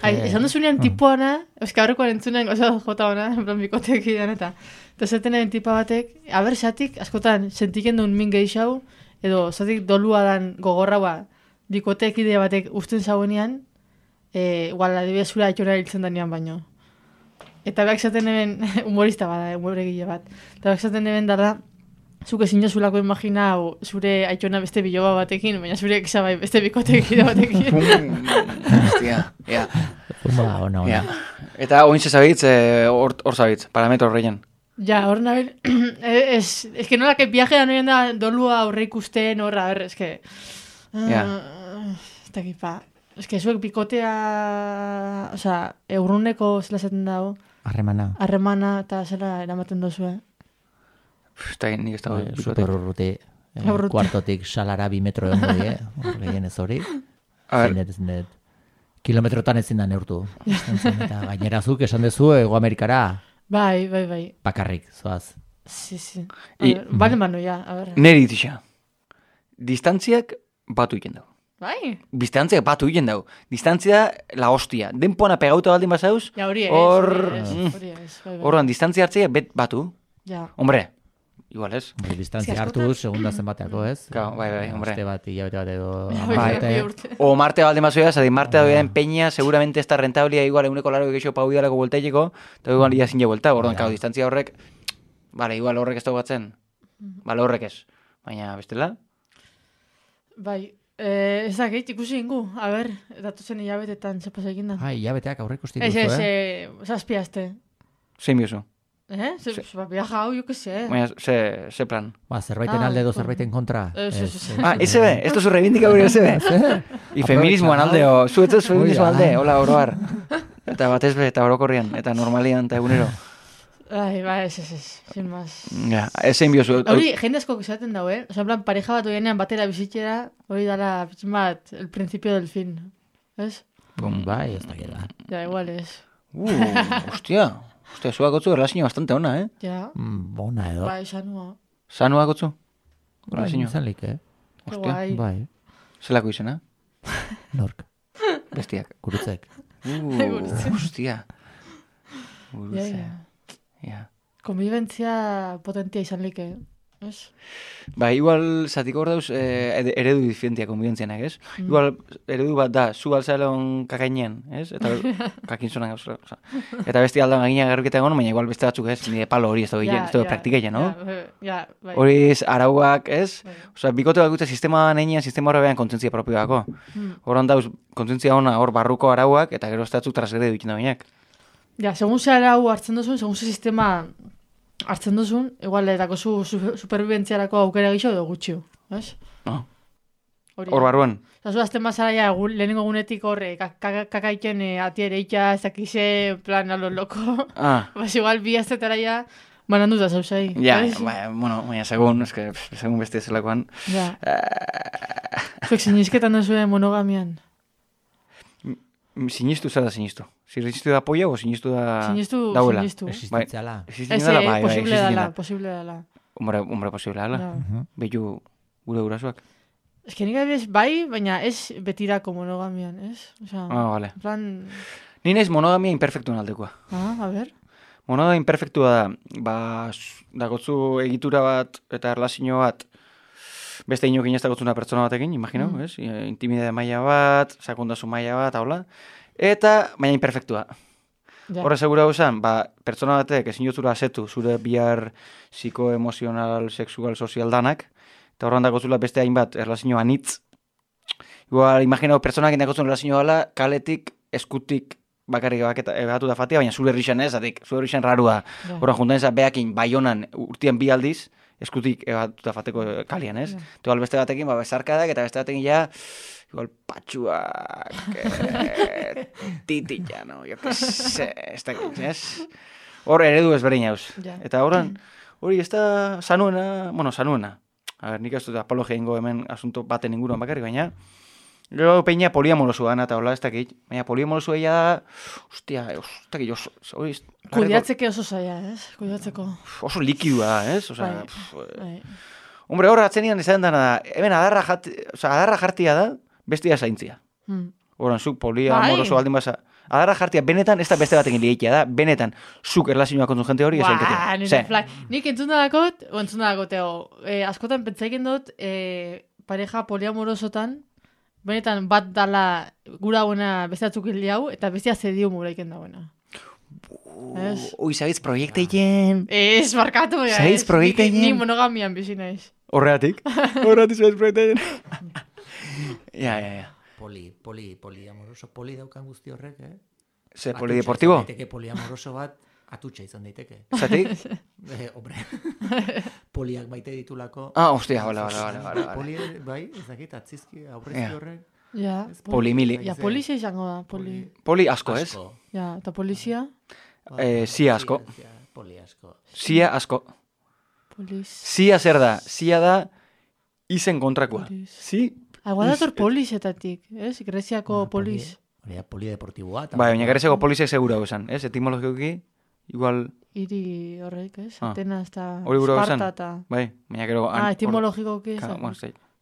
Esan duzunean tipuana, euska horrekoan entzunen goza jota ona, en plan bikotek idan eta zetenen tipa batek, abertzatik, askotan, sentiken duen min gehixau, edo zatik dolua dan gogorraua, bikotek idea batek usten zauenean, igual, adibidez zura aitzora hiltzen danean baino. Eta behak zaten eben, humorista bada, humoregile bat, eta behak zaten eben dara, zuk ezin jozulako imagina zure aitzona beste biloba batekin, baina zure exabai beste bikotek ide batekin. Hostia, ja. Ona. Eta oin zabitz, hor zabitz, parametro horreien. Ja, hor nabil, es que nola que viajean horien da dolua aurre ikusten horra, a ver, es que... Ez dakit, pa. Ez que zuek bikotea... Osa, eurruneko zela zaten dago. Harremana eta zela eramaten dozue. Nik ez dago. Super urruti. Kuartotik salara 2 metro egon goi, gehien ez hori. Zenet. Kilometrotan ezin da neurtu. Eta gainera zuk esan dezu Ego Amerikara. Bai. Bakarrik, zoaz. Si. Bale mano, ja. Neri itxa. Distantziak batu iken dago. Bai? Distantziak batu iken dago. Distantzia la hostia. Denpona pegauta baldin bazauz. Ja, hori ez. Horran, distantzia hartzea batu. Ja. Hombre, igual ez. Distantzia hartu, segunda zenbateako ez. Bai, hombre. Aste bat, hilabete bat edo... O Marte baldin bazoia, zadi Marte da peña, seguramente ez da rentablia, igual eguneko laro egeixo pau idalako voltaileko, eta igual ia zinja vuelta, orduan, distantzia horrek, igual horrek ez da batzen. Horrek ez. Baina, bestela? Bai, Ez dakit, ikusi ingu. A ber, datuzen hilabetetan zepas egin da. Hilabeteak aurre ikusti duzu, zazpiazte. Zein biozu? Viaja hau, jo que sé. Baina, ze plan? Zerbaiten alde edo zerbaiten kontra. Eze be, ez duzu reivindikaburi eze be. I feminismoan aldeo, zuetzez feminismoan alde, hola oroar. Eta batez be, eta orokorrian, eta normalian, eta egunero. Ez, sin más. Ja, zein biozu. Hori, jende asko esaten dago, Osa, en plan, pareja bat oienean batera bizitzera, hori dala, bat, el principio del fin. Ez? Bai, ez da geda. Ja, igual ez. Hostia, zuak gotzu erlazio bastante ona, Ja. Bona edo. Bai, sanua. Sanua gotzu? Bai, izanlik, Hostia. Bai. Zelako izena? Nork. Bestiak. Gurutzek. Hostia. Gurutze. Ja. Konbibentzia potentia izan like, ez? Ba, igual, zatiko hor dauz, eredu diferentia konbibentzianak, ez? Igual, eredu bat da, zu alzaelon kakainean, ez? Eta kakinzonan gauz. Eta besti aldan gagina garruketa egon, baina igual beste batzuk, ez? Nire palo hori ez da praktikeia, no? Bai. Hori arauak, ez? Osa, bikote bat gute sistema neinean, sistema horrean kontzentzia propioako. Horan dauz, kontzentzia ona hor barruko arauak, eta gero estatzuk trasgrede dukin da bainak. Ja, segun ze arau hartzen duzun, segun ze sistema hartzen duzun, igual, etako zu superviventziarako aukera gixo edo gutxio, ez? Hor barruan? Zu azten bazara ja, lehenengo gunetik horre, kakaiken atiereita, ez dakize, plan, alo loko. Bas, igual, bi aztetara ja, bananduta zauzai. Ja, baina, segun beste zelakoan. Ja. Zuek sinizketan duzuen monogamian? Sinistu zer da sinistu? Sinistu da polla o sinistu da... Dauela. Existentziala. Posible dala. Hombre, posible dala. Behiu gure gurasoak. Ez que nik adibidez bai, baina ez betirako monogamian, ez? Vale. Plan... Ni naiz monogamia imperfektuen aldekoa. A ber. Monogamia imperfektua da, dagotzu egitura bat eta erlazio bat beste inokin ez dagotzuna pertsona batekin, imagino, ez? Intimidade maila bat, sakondasun maila bat, haula. Eta, baina imperfektua. Horre segura hausan, pertsona batek ezin jotzura asetu zure bihar psikoemozional, sexual, sozial danak, eta horren dagotzula beste hainbat erlazio anitz. Igual, imaginau, pertsonak indagotzun erlazio gala, kaletik, eskutik, bakarrik ebatu da fatia, baina zure errixan ez, zure errixan rarua. Horren juntan ezak behakin, baionan, urtean bi aldiz, eskutik ebatuta fateko kalian, ez? Igual beste batekin, bezarkadak, eta beste batekin ja, igual patxuak, titik, no? Jo que se, ez dakit, ez? Hor eredu ezberdin jauz. Eta horren, hori ez da sanuena. A ber, nik ez dut apologia ingo hemen asunto baten inguruan bakarrik, baina gero peina poliamorosua eta hola ez dakit. Baina poliamorosua ega da, hostia, hori... Kudiatzeke oso zaila, ez? Kudiatzeko. Oso likidua da, ez? Hombre, hor atzenian izan dana da, hemen adarra jartia da, bestia zaintzia. Horan, zuk poliamoroso baldin basa. Adarra jartia benetan, ez da beste batekin lieikia da, benetan, zuk erlazioa kontzun jente hori ezaiketea. Nik entzun dakot, askotan pentsaiken dut, pareja poliamorosotan, benetan bat dala gura buena beste batzuk hau, eta bestia zediu muraiken da buena. Ui, zabitz proiekteien. Ez, markatu. Zabitz proiekteien. Ni monogamian bizi naiz. Horreatik zabitz proiekteien. Ja. Poliamoroso, poli daukan guzti horrek, Ze, polideportibo? Daiteke poliamoroso bat, atutxa izan daiteke. Zatik? Hombre, poliak baite ditulako. Hostia, hola. Poli, bai, ezakit, atzizki, aurrezki horrek. Ja. Polimili. Ja, polizia izango da, Poli asko, ez? Ja, eta polizia? Zia asko. Poli asko. Zia asko. Zia zer da? Zia da izen kontrakoa. Zi? Igual dator polizetatik, ez? Greziako poliz. Hori polideportiboa. Bai, baina Greziako polizek segura esan, ez? Etimologikoki, igual... Iri horrek, ez? Atenas eta Esparta eta... Bai, baina gero... Etimologikoki esan.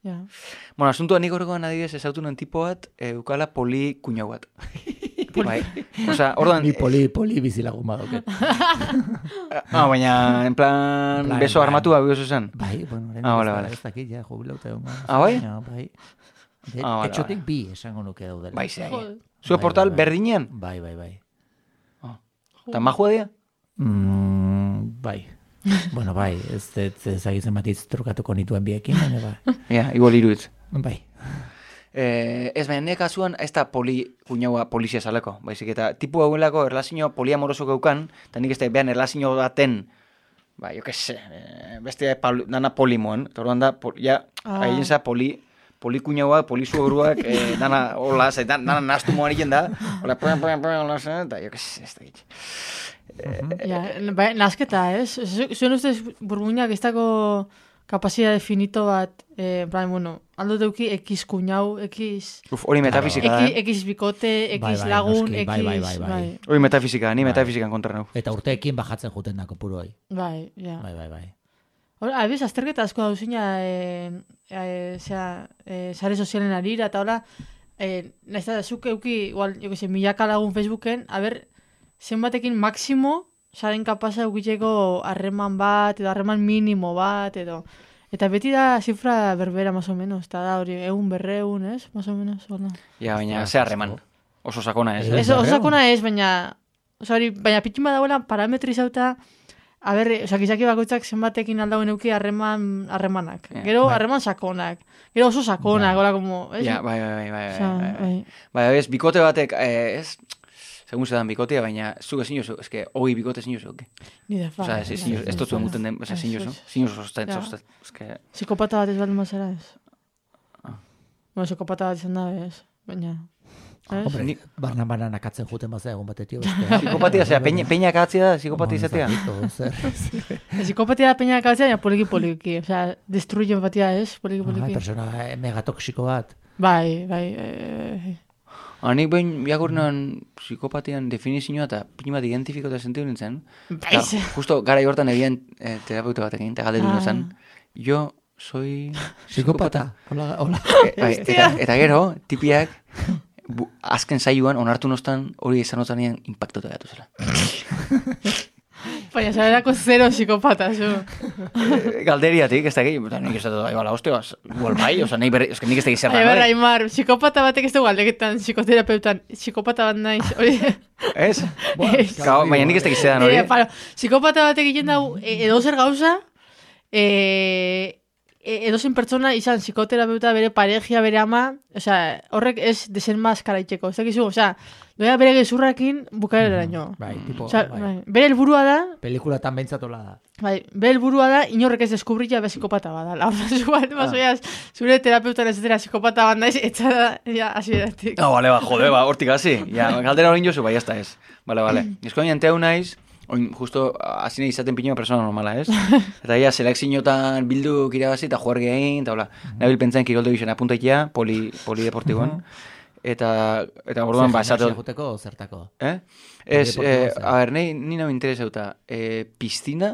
Bueno, asuntua nik horrekoan adibidez ezautu nuen tipo bat, eukala poli kuñau bat. Bai, oza, orduan... Ni poli bizilagun badoket. Baina, en plan, beso armatua bigozu zen. Bai, bueno, ez dakit, ja, jubilauta egon. Bai? Bai. Etxotik bi esango nuke daudela. Bai, ze. Zue portal berdinean? Bai. Eta majua dia? Bai. Bueno, bai, ez ezagitzen batiz trukatuko nituen biekin, baina bai. Ja, igual iruitz. Bai. Ez, baina nire kasuan, ez da kuñaua polizia zaleko, baizik, eta tipu hauelako erlazio poliamoroso geukan, eta nik ez da behan erlazio baten, jo que se, beste dana polimoen, eta orduan da, haien za polikuñaua, polizuoruak, dana, hola, dana naztu moan egin da, hola, hola, eta jo que se, ez da gitz. Nazketa, ez? Zuen ustez burbuinak ez dago kapazitate finito bat, aldo deuki X kuñau, X... Hori metafizika da, X bikote, X lagun, X... Bai. Hori metafizika, ni metafizikan kontra nau. Eta urteekin bajatzen juten dako puru hoi. Bai, ja. Bai. Hora, abiz, azterketa asko dauzina, sare sozialen arira, eta hola, nahiz da, zuk euki, igual, milaka lagun Facebooken, zenbatekin maksimo, saren kapasa eukiteko harreman bat, edo harreman minimo bat, edo... Eta beti da zifra berbera, más o menos. Eta da hori, 100, ez? Más o menos, hola. Ja, baina, ze harreman. Oso sakona ez. Oso sakona ez, baina... Baina pitxin badagoela parametrizauta... Gizaki bakoitzak zenbatekin aldauen euki harremanak. Gero harreman sakonak. Gero oso sakonak, hola, como... Ja, bai. Bai, ez, bikote batek, ez... Segun zedan bikotea, baina zuk ezin jozu, eske, hoi bikote ezin jozu. Ni da fa. Ez totzuen guten den, ezin jozu. Ezin jozu sostet. Psikopata bat ez baldin mazera ez. Psikopata bat izan da, ez. Baina... Hombre, barna nakatzen juten bazea egun batetio. Psikopatia, peina akatzea da, psikopatia izatea. Psikopatia da peina akatzea, baina poliki. Osea, destruyen batia ez, poliki. Persona megatoksiko bat. Bai. Anik behin biakurnan psikopatian definizioa eta pin bat identifikota sentiu nintzen. Justo gara hortan egian terapeuta batekin, eta galdetu nintzen. Jo soy psikopata. Hola. Eta gero, tipiak, azken saioan, onartu nostan, hori izan otanean impactota gatu zela. Baina, zarerako zero psikopata, zu. Galderiatik, ez da gehi, nik ez da igual, hostia, igual bai, oza, nik ez da gehi zer da. Berra, Aimar, psikopata batek ez dugu aldeketan, psikoterapeutan, psikopata bat naiz, hori. Ez? Baina nik ez da gehi zer da, hori. Psikopata batek egin dago, edo zer gauza, edozen pertsona izan psikoterapeuta bere parejia, bere ama, osea, horrek ez desenmaskara itxeko, ez dakizu, osea, doa bere gezurrakin bukaereraino. Bai, tipo, bere helburua da... Pelikulatan behintzatola da. Bai, bere helburua da, inorrek ez deskubrilla be psikopata bada. Zure terapeutan ez dira psikopata bat naiz, etxa da, ja, hasieratik. Bale, jode, hortik hasi. Ja, galdera hori jozu, bai, ez da ez. Bale. Eskoin enteu naiz, oin, justo, azine izaten pinua persona normala, ez? Eta ia, selekziotan bildu kirabazi, eta juar gehin, eta hola, nabil pentsain kiroldo gizena apuntaikia, polideportiboan. Eta orduan, esate... Juteko zertako? Ez, ni nahi interesauta, piztina,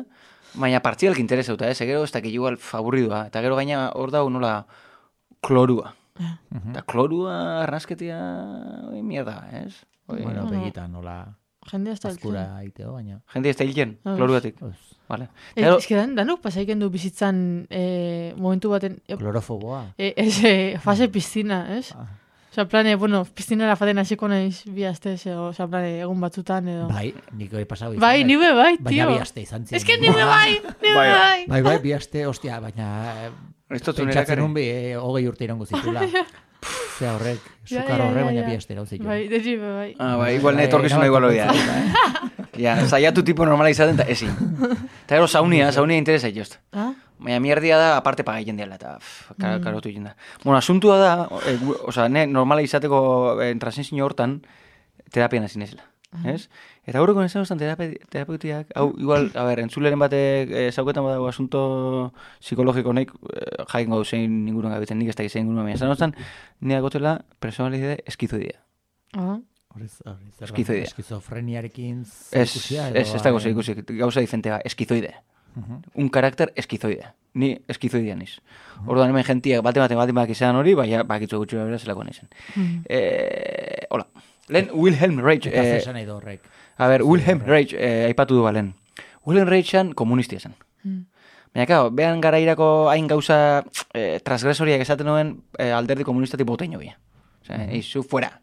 baina partzialki interesauta, ez? Gero, ez dakit igual favorridua, eta gero gaina hor dago nola klorua. Eta klorua, arnazketia, mierda, ez? Bueno, begitan, nola... Jende hasta azkura aiteo, baina. Jende hasta hilken, klorugatik. Vale. Ez que danuk pasaiken du bizitzan momentu baten... Klorofoboa. Fase piztina, ez? Osa, plane, piztinara faten hasiko naiz bi astez, osa, plane, egun batzutan, edo... Bai, niko hori pasau izan. Bai, nibe bai, tio. Baina bi aste izan ziren. Ez que nibe bai. Bai, bi aste, ostia, baina... Pentsatzen unbi, 20 urte irango zitula. Zea horrek, sukar horrek, baina bi aste irauzit. Bai, dezibe, bai. Bai, igual netorkizuna igual hori da. Ja, zaiatu tipo normala izaten, eta ezin. Eta gero saunia interesa itost. Baina mierdia da, aparte pagaiten diala, eta karotu egin da. Bueno, asuntua da, oza, normala izateko transensio hortan, terapian hasi nezela. Ez? Eta gaurreko nezan ostan terapeutiak, hau, igual, a ber, entzuleren batek zauketan badago asunto psikologiko naik, jakin gau zein inguruan gabitzen, nik ez da zein inguruan, baina zan ostan, nire gotela personalidade eskizoidea. Eskizoidea. Eskizofreniarekin zikusia? Ez dago zikusia, gauza diferentea, eskizoidea. Un karakter eskizoidea. Ni eskizoidea niz. Orduan hemen gentiak bate izan hori, baina bakitzu gutxu bera zelako nizan. Hola. Lehen Wilhelm Reich. Eta zesan edo horrek. A ber, Wilhelm Reich aipatu du balen. Wilhelm Reichan komunistia zen. Baina, kao, behan gara irako hain gauza transgresoriak esaten nuen alderdi komunistatik botein hobia. Osea, eizu fuera.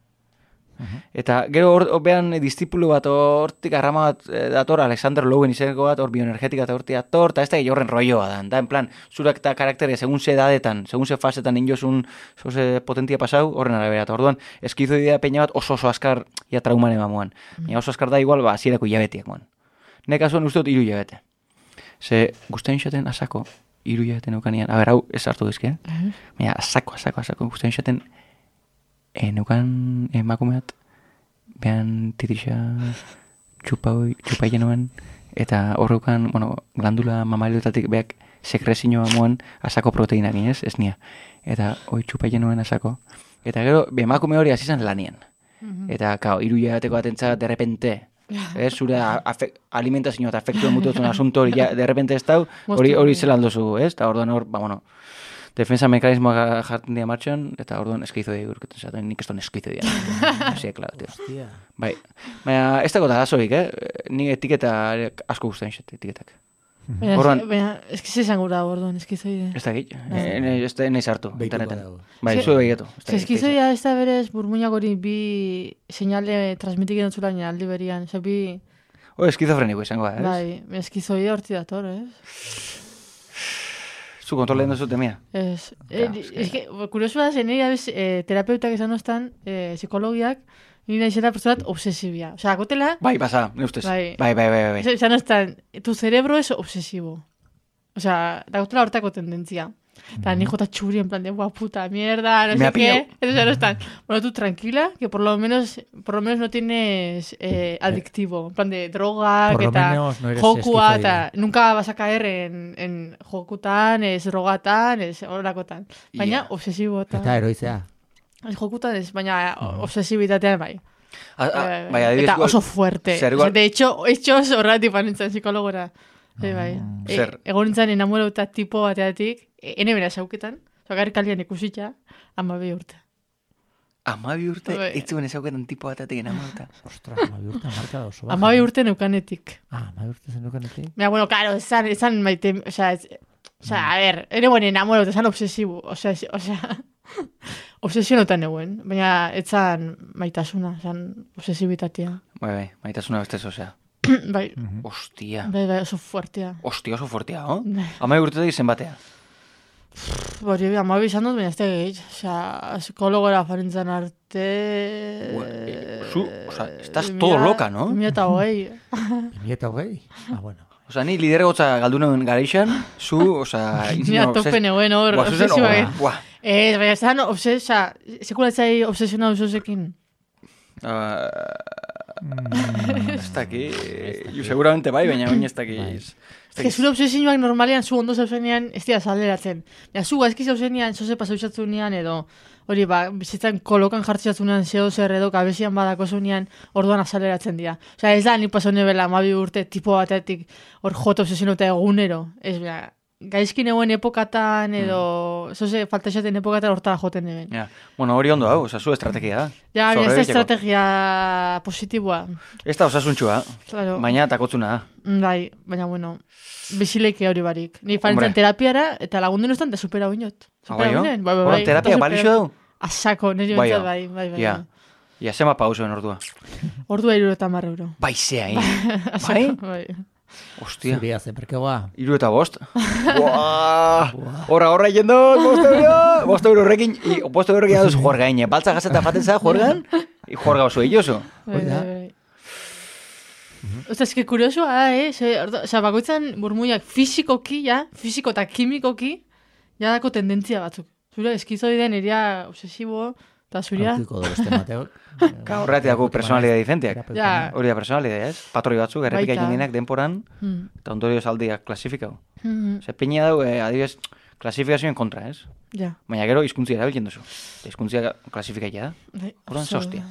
Eta gero behan distipulu bat hortik arrama bat dator, Alexander Lowen izaneko bat, hor bioenergetika eta hortik dator, eta ez da horren rolloa da. Da, en plan, zurak eta karaktere, segun ze edadetan, segun ze fasetan injozun, zoze potentia pasau, horren arabera. Eta orduan, eskizoidea peina bat oso askar, ja trauman emamuan. Baina oso askar da igual, hasierako hilabetiak moan. Nek kasuan uste dut 3 hilabete. Ze, guztain xaten asako, 3 hilabete neukanean, hau ez hartu dizke, baina asako, guztain xaten neukan emakumeat, behan titisa txupai genuen, eta horreukan, glandula mamaliotatik beak sekrezinoa moan asako proteinak inez, ez nia. Eta hoi txupai genuen asako. Eta gero, emakume hori azizan lanien. Eta, 3 hilabateko atentza, de repente, zure alimentazio eta afektuen mututzen asunto hori, de repente ez dau, hori zelan dozu, ez? Eta orduan hor, defensa mekanismoa jartzen dira martxan, eta orduan eskizoidea gurketan zaten, nik ez duen eskizoidea. Asi, klaro, tio. Bai, baina ez dago da azoik, nik etiketa asko guztien xet, etiketak. Baina, eskiz izan gura orduan, eskizoidea. Ez da git, ez da nahi sartu, internetan. Bai, zu begietu. Eskizoidea ez da berez burmuinak hori bi seinale transmitikin dutzula aldi berian, ez bi... Eskizofreniko izango da, ez? Bai, eskizoidea horti dator, ez? Zu kontrolen duzute mia? Ez. Que, kuriosu da, nire abez, terapeutak esan oztan, psikologiak, nire izela personat obsesibia. Osea, gotela... Bai, pasa, ne ustez. Bai. Esan oztan, tu cerebro es obsesivo. Osea, da gotela hortako tendentzia. Eta ni jota txuri, en plan de, puta mierda, no sé qué. Eso no están. Bueno, tú tranquila, que por lo menos no tienes adictivo. En plan de droga, por que tal. No jokua, eta nunca vas a caer en jokutan, es drogatan, es horakotan. Baina, obsesibo. Eta eroizea. Es jokutan, es baina obsesibitatean bai. Eta oso fuerte. De hecho, horretik panintzen psikologora. Bai. Egon nintzen enamorauta tipo bateatik, ene bera sauketan, zagarrik alian ikusitza, 12 urte. 12 urte? Ez zuen ezauketan tipo bateatik enamorauta? Ostra, 12 urte marka da oso. 12 urte neukanetik. 12 urte zen neukanetik? Mira, bueno, claro, esan maite, a ver, ene buen enamorauta, esan obsesibo, obsesionotan eguen, baina etzan maitasuna, esan obsesibitatea. Bai, maitasuna bestez, Bai. Ostia. Bai, oso fuertea. Ostia, oso fuertea, no? 12 urtetik zenbatea. Bori, 12 izan dut, baina ez da gehi. Psikologora farintzen arte... Estás todo loca, no? 2008. 2008? Bueno. Ni lidergotza galdunen gareixan, zu, Mira, tope neguen hor, obsesiba. Baina, zan, sekulatzai obsesionau zuzekin. Ez daki, seguramente bai, baina baina ez daki. Ez que zure obsesioak normalean zu ondo zauzenean ez dira zalderatzen. Ja, zu gaizki zauzenean, zoze pasautxatzunean edo, hori bizitzan kolokan jartxatzunean zeo zer edo kabezian badako zunean orduan azaleratzen dira. Osea, ez da, ni paso nebela 12 urte tipo batetik hor jota obsesionota egunero. Ez, gaizkin egoen epokatan edo zoze falta esaten epokatan hortara joten eben. Ja, bueno, hori ondo hau, zu estrategia da. Ja, ez da estrategia positiboa. Ez da osasuntxua, baina takotzuna da. Bai, baina bueno, bizileike hori barik. Ni farintzen terapiara eta lagundu nuztan da supera uinot. Supera uinen? Bai. Terapia balixo dau? Asako, nire bintzat bai. Ja, zema pausoen ordua? Ordua 70 euro. Bai, zea, bai? Bai. Ostia. Zuria, zeperkegoa. 75. Horra jendo, 5 euro horrekin, 5 euro gehiago juerga ine. Baltza gazeta faten za, juergan, juerga oso elloso. Osta, eski kuriosua da, Osa, bakoitzan burmuiak fiziko eta kimikoki, ja dako tendentzia batzuk. Zura, eskizoideen eria obsesibo, eta zuria... Kautiko dozte Mateok. Horretik dago personalidea diferenteak. Hori da personalidea, ez? Patroi batzuk, errepika jendenak denporan, eta ondorioz aldiak klasifikau. Zer, peina dau, adibidez, klasifikazioen kontra, ez? Ja. Baina gero, izkuntzia erabiltzen duzu. Izkuntzia klasifikaia da. Horren zostia.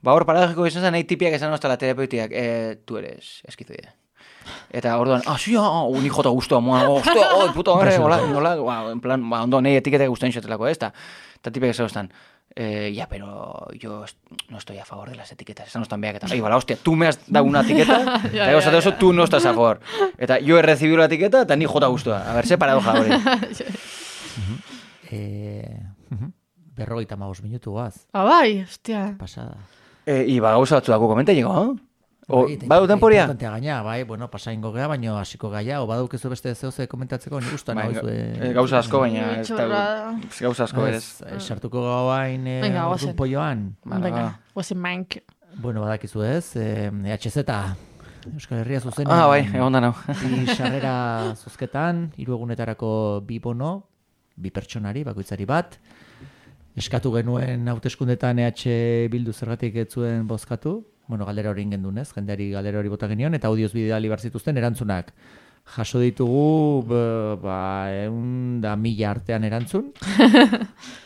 Hor, paradojiko izan zen, nahi tipiak esan oztala terapeutiak, tu eres eskizoidea. Eta orduan, ni jota guztua, puta, en plan, ondo, nahi etiketak guztain xotelako, ez? Eta tipiak esan oztan, ya, pero yo no estoy a favor de las etiquetas. Esan oztan beak, eta, hostia, tú me has dado una etiqueta, eta egozate oso, tú no estás a favor. Eta yo he recibido la etiqueta, eta ni jota guztua. A ver, ze paradoja hori. 55 minutu guaz. Bai, hostia. Pasada. Iba gauza batzu dago komentaiko, badu temporia? Gaina, bueno, pasaingo gea, baina hasiko gaia, o badaukezu beste zehose komentatzeko, nik gustan gauza asko, baina gauza asko berez. Sartuko gauain orduan polloan. Venga, guazen mank. Bueno, badakizu ez, EHZ, Euskal Herria zuzenean. Bai, egon da nau. Bi sarrera zozketan, 3 egunetarako 2 bono, 2 pertsonari, bakoitzari bat. Eskatu genuen hauteskundetan EH Bildu zergatik ez zuen bozkatu. Bueno, galdera hori ingendunez, jendeari galdera hori bota genion, eta audioz bidali barzituzten erantzunak. Jaso ditugu, 100.000 artean erantzun.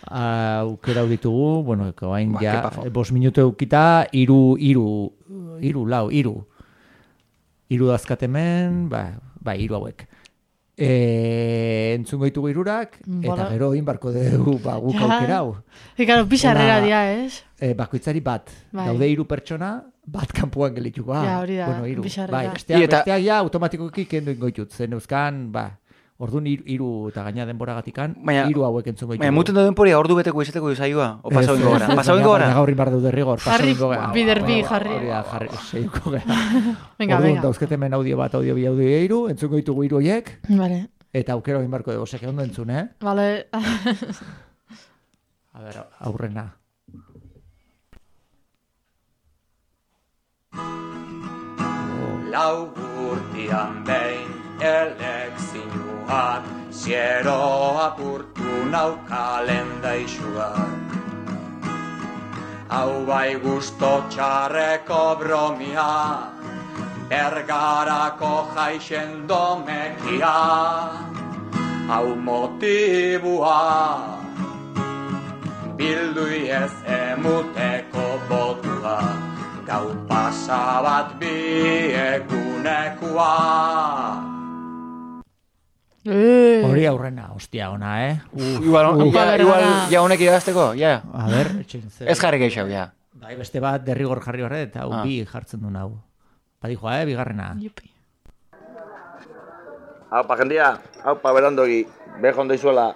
Aukera hau ditugu, bueno, hain ja, 5 minutu eukita, 3 dazkatemen, 3 hauek. Entzungo ditugu 3, eta gero inbarko dugu guk aukerau. Ekaro, pizarrera dia, ez? Bakoitzari bat. Daude 3 pertsona, bat kanpuan gelituko. Ja, hori da, pizarrera. Besteak ja automatikoki kendu ingoitut. Zen euskan, orduan 3 eta gaina denboragatikan, 3 hauek entzungo ditugu. Muten da denporia ordu beteko izateko izaioa? O pasau ingo gara? Pasau ingo gara? Gaur inbar dude rigor, pasau ingo gara. Biderbi, jarri. Jarri, seiko gara. Orduan dauzketemen audio bat, audio 3, entzungo ditugu 3 horiek. Vale. Eta aukero inbarko dugu, seke ondo entzun, Vale. A ver, aurrena. Lau urtian behin elekzioak, ziero apurtu naukalen daixuak. Hau bai gusto txarreko bromia, bergarako jaixen domekia. Hau motibua, bildui ez emuteko botua, gau pasabat bi egunekoa. Hori aurrena, hostia ona, Igual ja honek idazteko, ja. A ver, etxintzen. Ez jarri geixau, ja. Bai, beste bat derrigor jarri horret, eta hau bi jartzen du hau. Badijoa, bigarrena. Haupa, jendia, haupa, berandogi, behon daizuela.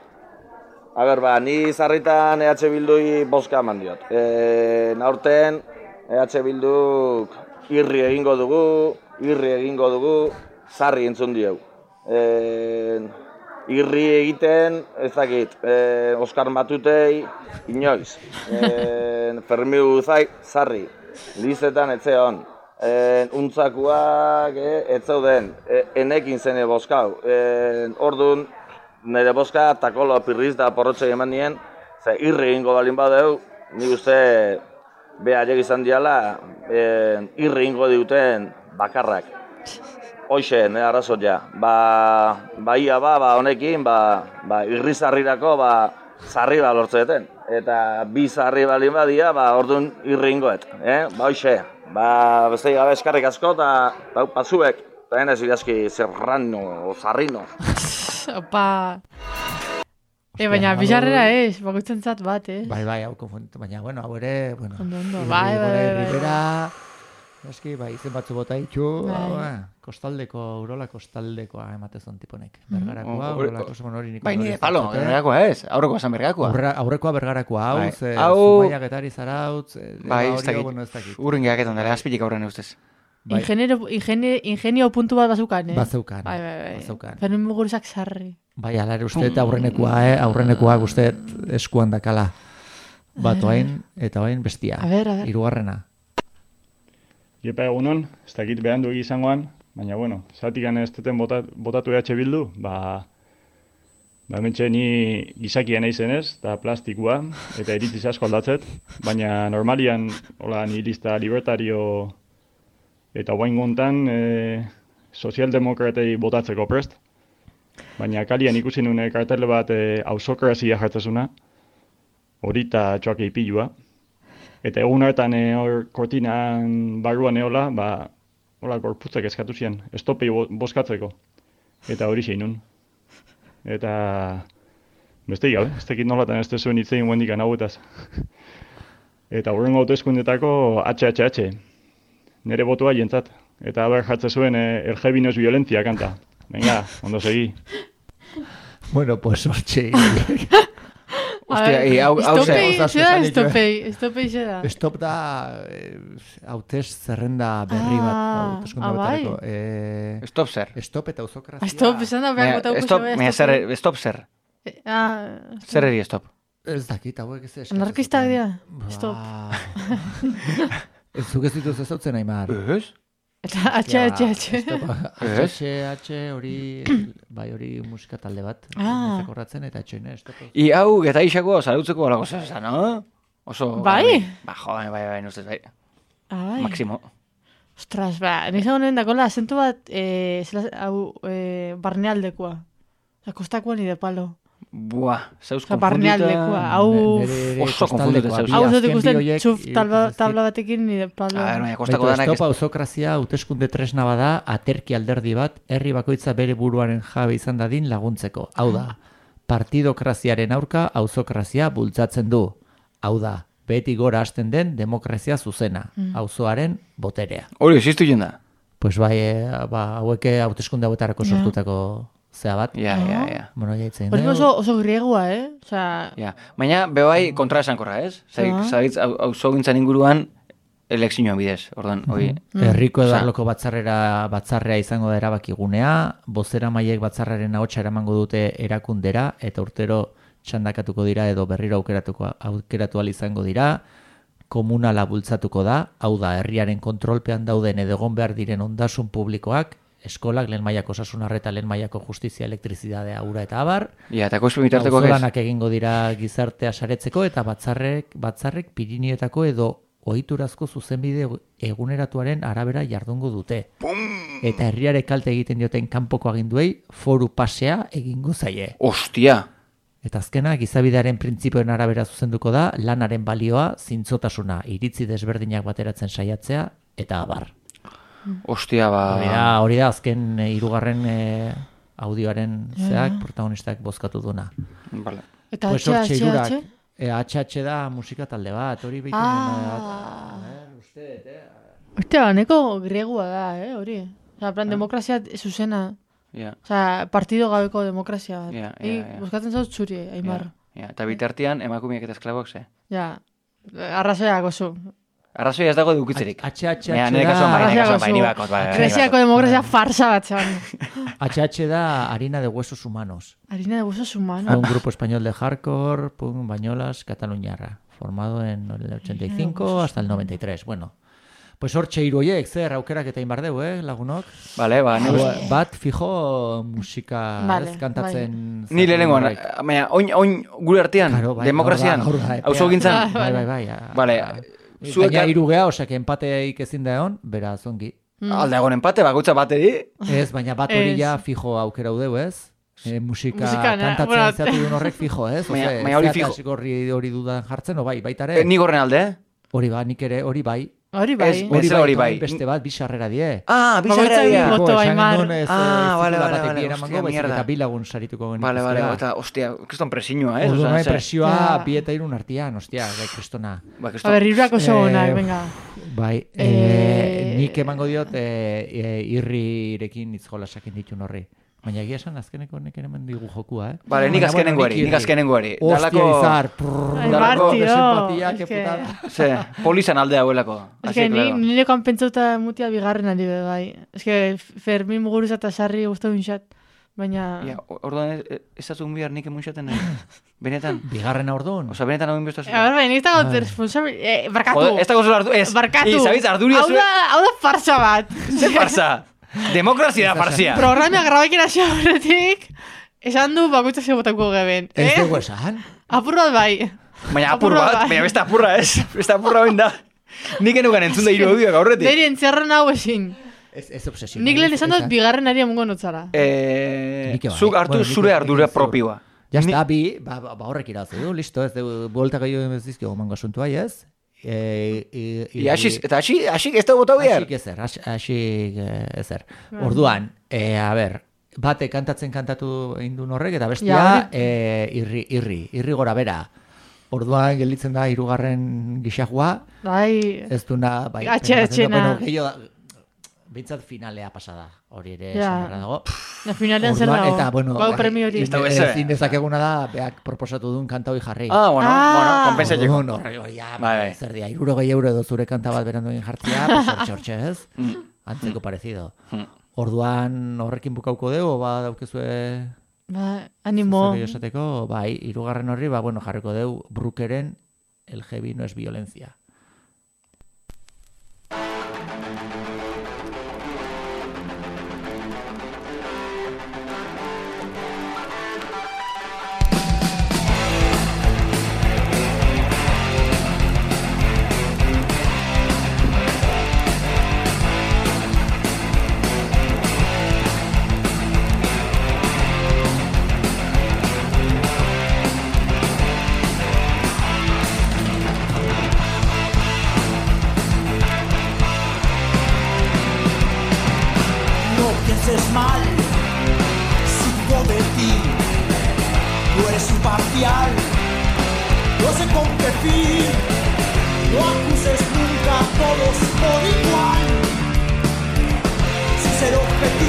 A ber, ni zarritan EH Bildui bozka eman diot. Naurten, EH Bilduk irri egingo dugu, zarri entzun dieu. Irri egiten, ez dakit, Oskar Matutei, inoiz. Fermiu zarri, lizetan etzeon. Untzakuak ez zauden, enekin zene bozkau. Orduan, nire bozka takolo pirriz da porrotxei eman nien, ze irri egingo balin badeu, ni uste behaiek izan diala, irri egingo diuten bakarrak. Hoxe, nire arrazot ja. Ia honekin, irri zarrirako, zarri lortzeten. Eta bi zarri balin badia, orduan irri egingoet. Hoxe. Beste gabe eskarrik asko eta pasuek, eta henez idazki zerrano, zarrino. Opa. Baina bizarrera ez, bakoitzen zat bat, Bai, hau konfunditu, baina, bueno, hau ere, bueno. Ondo, bai. Ribera, eski, izen batzu bota ditu, Urola kostaldekoa ematezon tiponek. Bergarakoa, Urolako zemon hori nik. Bai, nire palo, bergarakoa ez, aurrekoa esan bergarakoa. Aurrekoa bergarakoa, hau, Zumaiak etari zarautz, bai, ez dakit, urren gehaketan dara, azpilik aurren eustez. Ingenio puntu bat bazeukan, Bazeukan. Fermin Mugurusak sarri. Bai, ala ere uste, aurrenekoa uste eskuan dakala. Bat oain, eta oain bestia. A ver. Hirugarrena. Iepa egunon, ez dakit behan duegi izangoan, baina, bueno, zatikan ez duten botatu EH Bildu, hementxe ni gizakia nahi zenez, eta plastikua, eta iritziz asko aldatzet, baina normalian, hola, nihilista libertario, eta guain gontan, sozialdemokratei botatzeko prest, baina kalian ikusi nune kartele bat ausokrazia jartzezuna, horita txoak eipilua, eta egun hartan hor kortinan barruan eola, hola gorputzak eskatu zian, estopei bozkatzeko, eta hori zeinun. Eta beste gabe, ez tekit nolatan ez zuen hitzein guendikan hauetaz. Eta horrengo hauteskundetako HHH, nire botua jentzat. Eta haber jartze zuen el heavy no es violencia kanta. Venga, ondo segi. Bueno, pues hortxe. Ostia, hau Estopei zera. Stop da hautez zerrenda berri bat. Stop zer. Stop eta auzokrazia. Stop, esan da behar gotauko zebe. Stop zer. Zer eri stop? Ez dakit, hauek ez eskatzen. Anarkistak dira. Stop. Zuk ez dituz ezautzen, Aimar. Ez? Eta H hori, bai hori musika talde bat. Zekorratzen eta H-ne, stop. I hau, eta isako salutzeko alago zeza, no? Oso... Bai? Bai, nuzez, bai. Bai. Maximo. Ostras, nisa honen dakola azentu bat, barnealdekoa. Kostakoa ni de palo. Buah, zauz barnealdekoa, hau... Oso konfunditu zauz. Hau zotik usten txuf tabla batekin ni de palo. Stop auzokrazia hauteskunde tresna bada, aterki alderdi bat, herri bakoitza bere buruaren jabe izan dadin laguntzeko. Hau da, partidokraziaren aurka auzokrazia bultzatzen du. Hau da, beti gora hasten den demokrazia zuzena, auzoaren boterea. Hori, existu jenda? Pues bai, haueke hauteskunde hauetarako sortutako... Zea bat? Ja. Bueno, jaitzen. Hori oso griegua, Ja, baina bebai kontra esankorra, ez? Zagitz, auzo gintzan inguruan elekzioan bidez, ordan, hoi. Herriko edarloko batzarrea izango da erabakigunea, bozera maiek batzarraren ahotsa eramango dute erakundera, eta urtero txandakatuko dira edo berriro aukeratu izango dira, komunala bultzatuko da, hau da, herriaren kontrolpean dauden edo egon behar diren ondasun publikoak, eskolak, lehen mailako osasun arreta, lehen mailako justizia, elektrizidadea, ura eta abar. Ja, eta koizpe bitarteko ez. Auzolanak egingo dira gizartea saretzeko eta batzarrek Pirinioetako edo ohiturazko zuzenbide eguneratuaren arabera jardungo dute. Eta herriare kalte egiten dioten kanpoko aginduei foru pasea egingo zaie. Ostia! Eta azkena, gizabidearen printzipioen arabera zuzenduko da, lanaren balioa, zintzotasuna, iritzi desberdinak bateratzen saiatzea, eta abar. Ostia, Hori da azken hirugarren audioaren zeak protagonistak bozkatu duna. Vale. Eta HH da musika talde bat, hori behitu Ostia, neko griegua da, hori. Plan, demokrazia zuzena. Partido gabeko demokrazia bat. Bozkatzen zauz txuri, Aimar. Eta bitartian emakumiak eta esklabok ze. Ja, arrazoiak oso. Arrazoia ez dago dukitzerik. Greziako demokrazia farsa bat zeban. HH da harina de huesos humanos. Harina de huesos humanos. Un grupo español de hardcore, punk, bañolas, cataluñarra. Formado en el 85 hasta el 93. Bueno, pues hortxe hiruoiek, zer aukerak eta inbardeu, lagunok? Vale, bat fijo musika kantatzen. Ni lehenengoan, baina, oin gure artean, demokrazian, auzo gintzan. Bai. Vale, baina irugea, osake empateik ezin da egon, beraz ongi. Alde egon empate, bakoitza bateri? Ez, baina bat hori ja fijo aukera udeu, ez? Musika kantatzen zeatu duen horrek fijo, ez? Baina hori fijo. Hori dudan jartzen, o bai, baitare? Ni gorren alde, Hori ba, nik ere, hori bai. Hori bai. Hori bai. Beste bat, bisarrera die. Bisarrera die. Vale. Eta bilagun sarituko genituzera. Vale, eta, ostia, kriston presinua, ez? Orduan presioa bi eta irun artian, ostia, kristona. A ber, irurak oso gonak, venga. Bai, nik emango diot irrirekin itzgolasakin ditun horri. Baina egia esan azkeneko neken eman digu jokua, Vale, nik azkenengoari. Ostia izar. Dalako simpatia, que putada. Ze, polizan alde hauelako. Ez que nire kanpentzauta mutia bigarren ari bai. Ez que Fermin Muguruza eta Sarri guztu bintzat. Baina... Orduan ez azun bihar nik emunxaten benetan. Bigarrena orduan. Osa, benetan hau inbestaz. Baina, nik eta gautu responsable... Barkatu. Ez da gozu hartu. Barkatu. Zabitz, arduria zure... Hau da farsa bat. Ze farsa? Demokrazia da farsia. Programia grabaikin hasi horretik, esan du bakoitza zebotako geben. Ez dugu esan? Apur bat bai. Baina apur bat, baina beste apurra ez. Beste apurra ben da. Nik enukan entzun da hiru audioak aurretik. Deri entzerren hau ezin. Ez obsesio. Nik lehen esan dut bigarren ari amungo notzara. Zuk hartu zure ardura propioa. Jazta, horrek irazu du, listo, ez du, bueltak aio ez dizkio mango asuntua, ez? Eta asik ez da bota behar? Asik ezer. Orduan, a ber, bate kantatu indun horrek, eta bestia irri gora bera. Orduan gelditzen da hirugarren gixajua. Bai. Ez duna, bai. Atxena. Bintzat finalea pasada, hori ere esan dago. Finalean zer dago, eta, bueno, premio hori. Ezin dezakeguna da, beak proposatu duen kanta hoi jarri. Bueno, konpensatzeko. Zer dia, 60 euro edo zure kanta bat berandu egin jartzea, pues hortxe ez? Antzeko parecido. Orduan horrekin bukauko dugu, daukezue... Animo. Esateko, hirugarren horri, jarriko dugu Brookeren El heavy no es violencia. Mal, supo de ti, tú eres imparcial, no sé con qué fin, no acuses nunca a todos por igual, sin ser objetivo.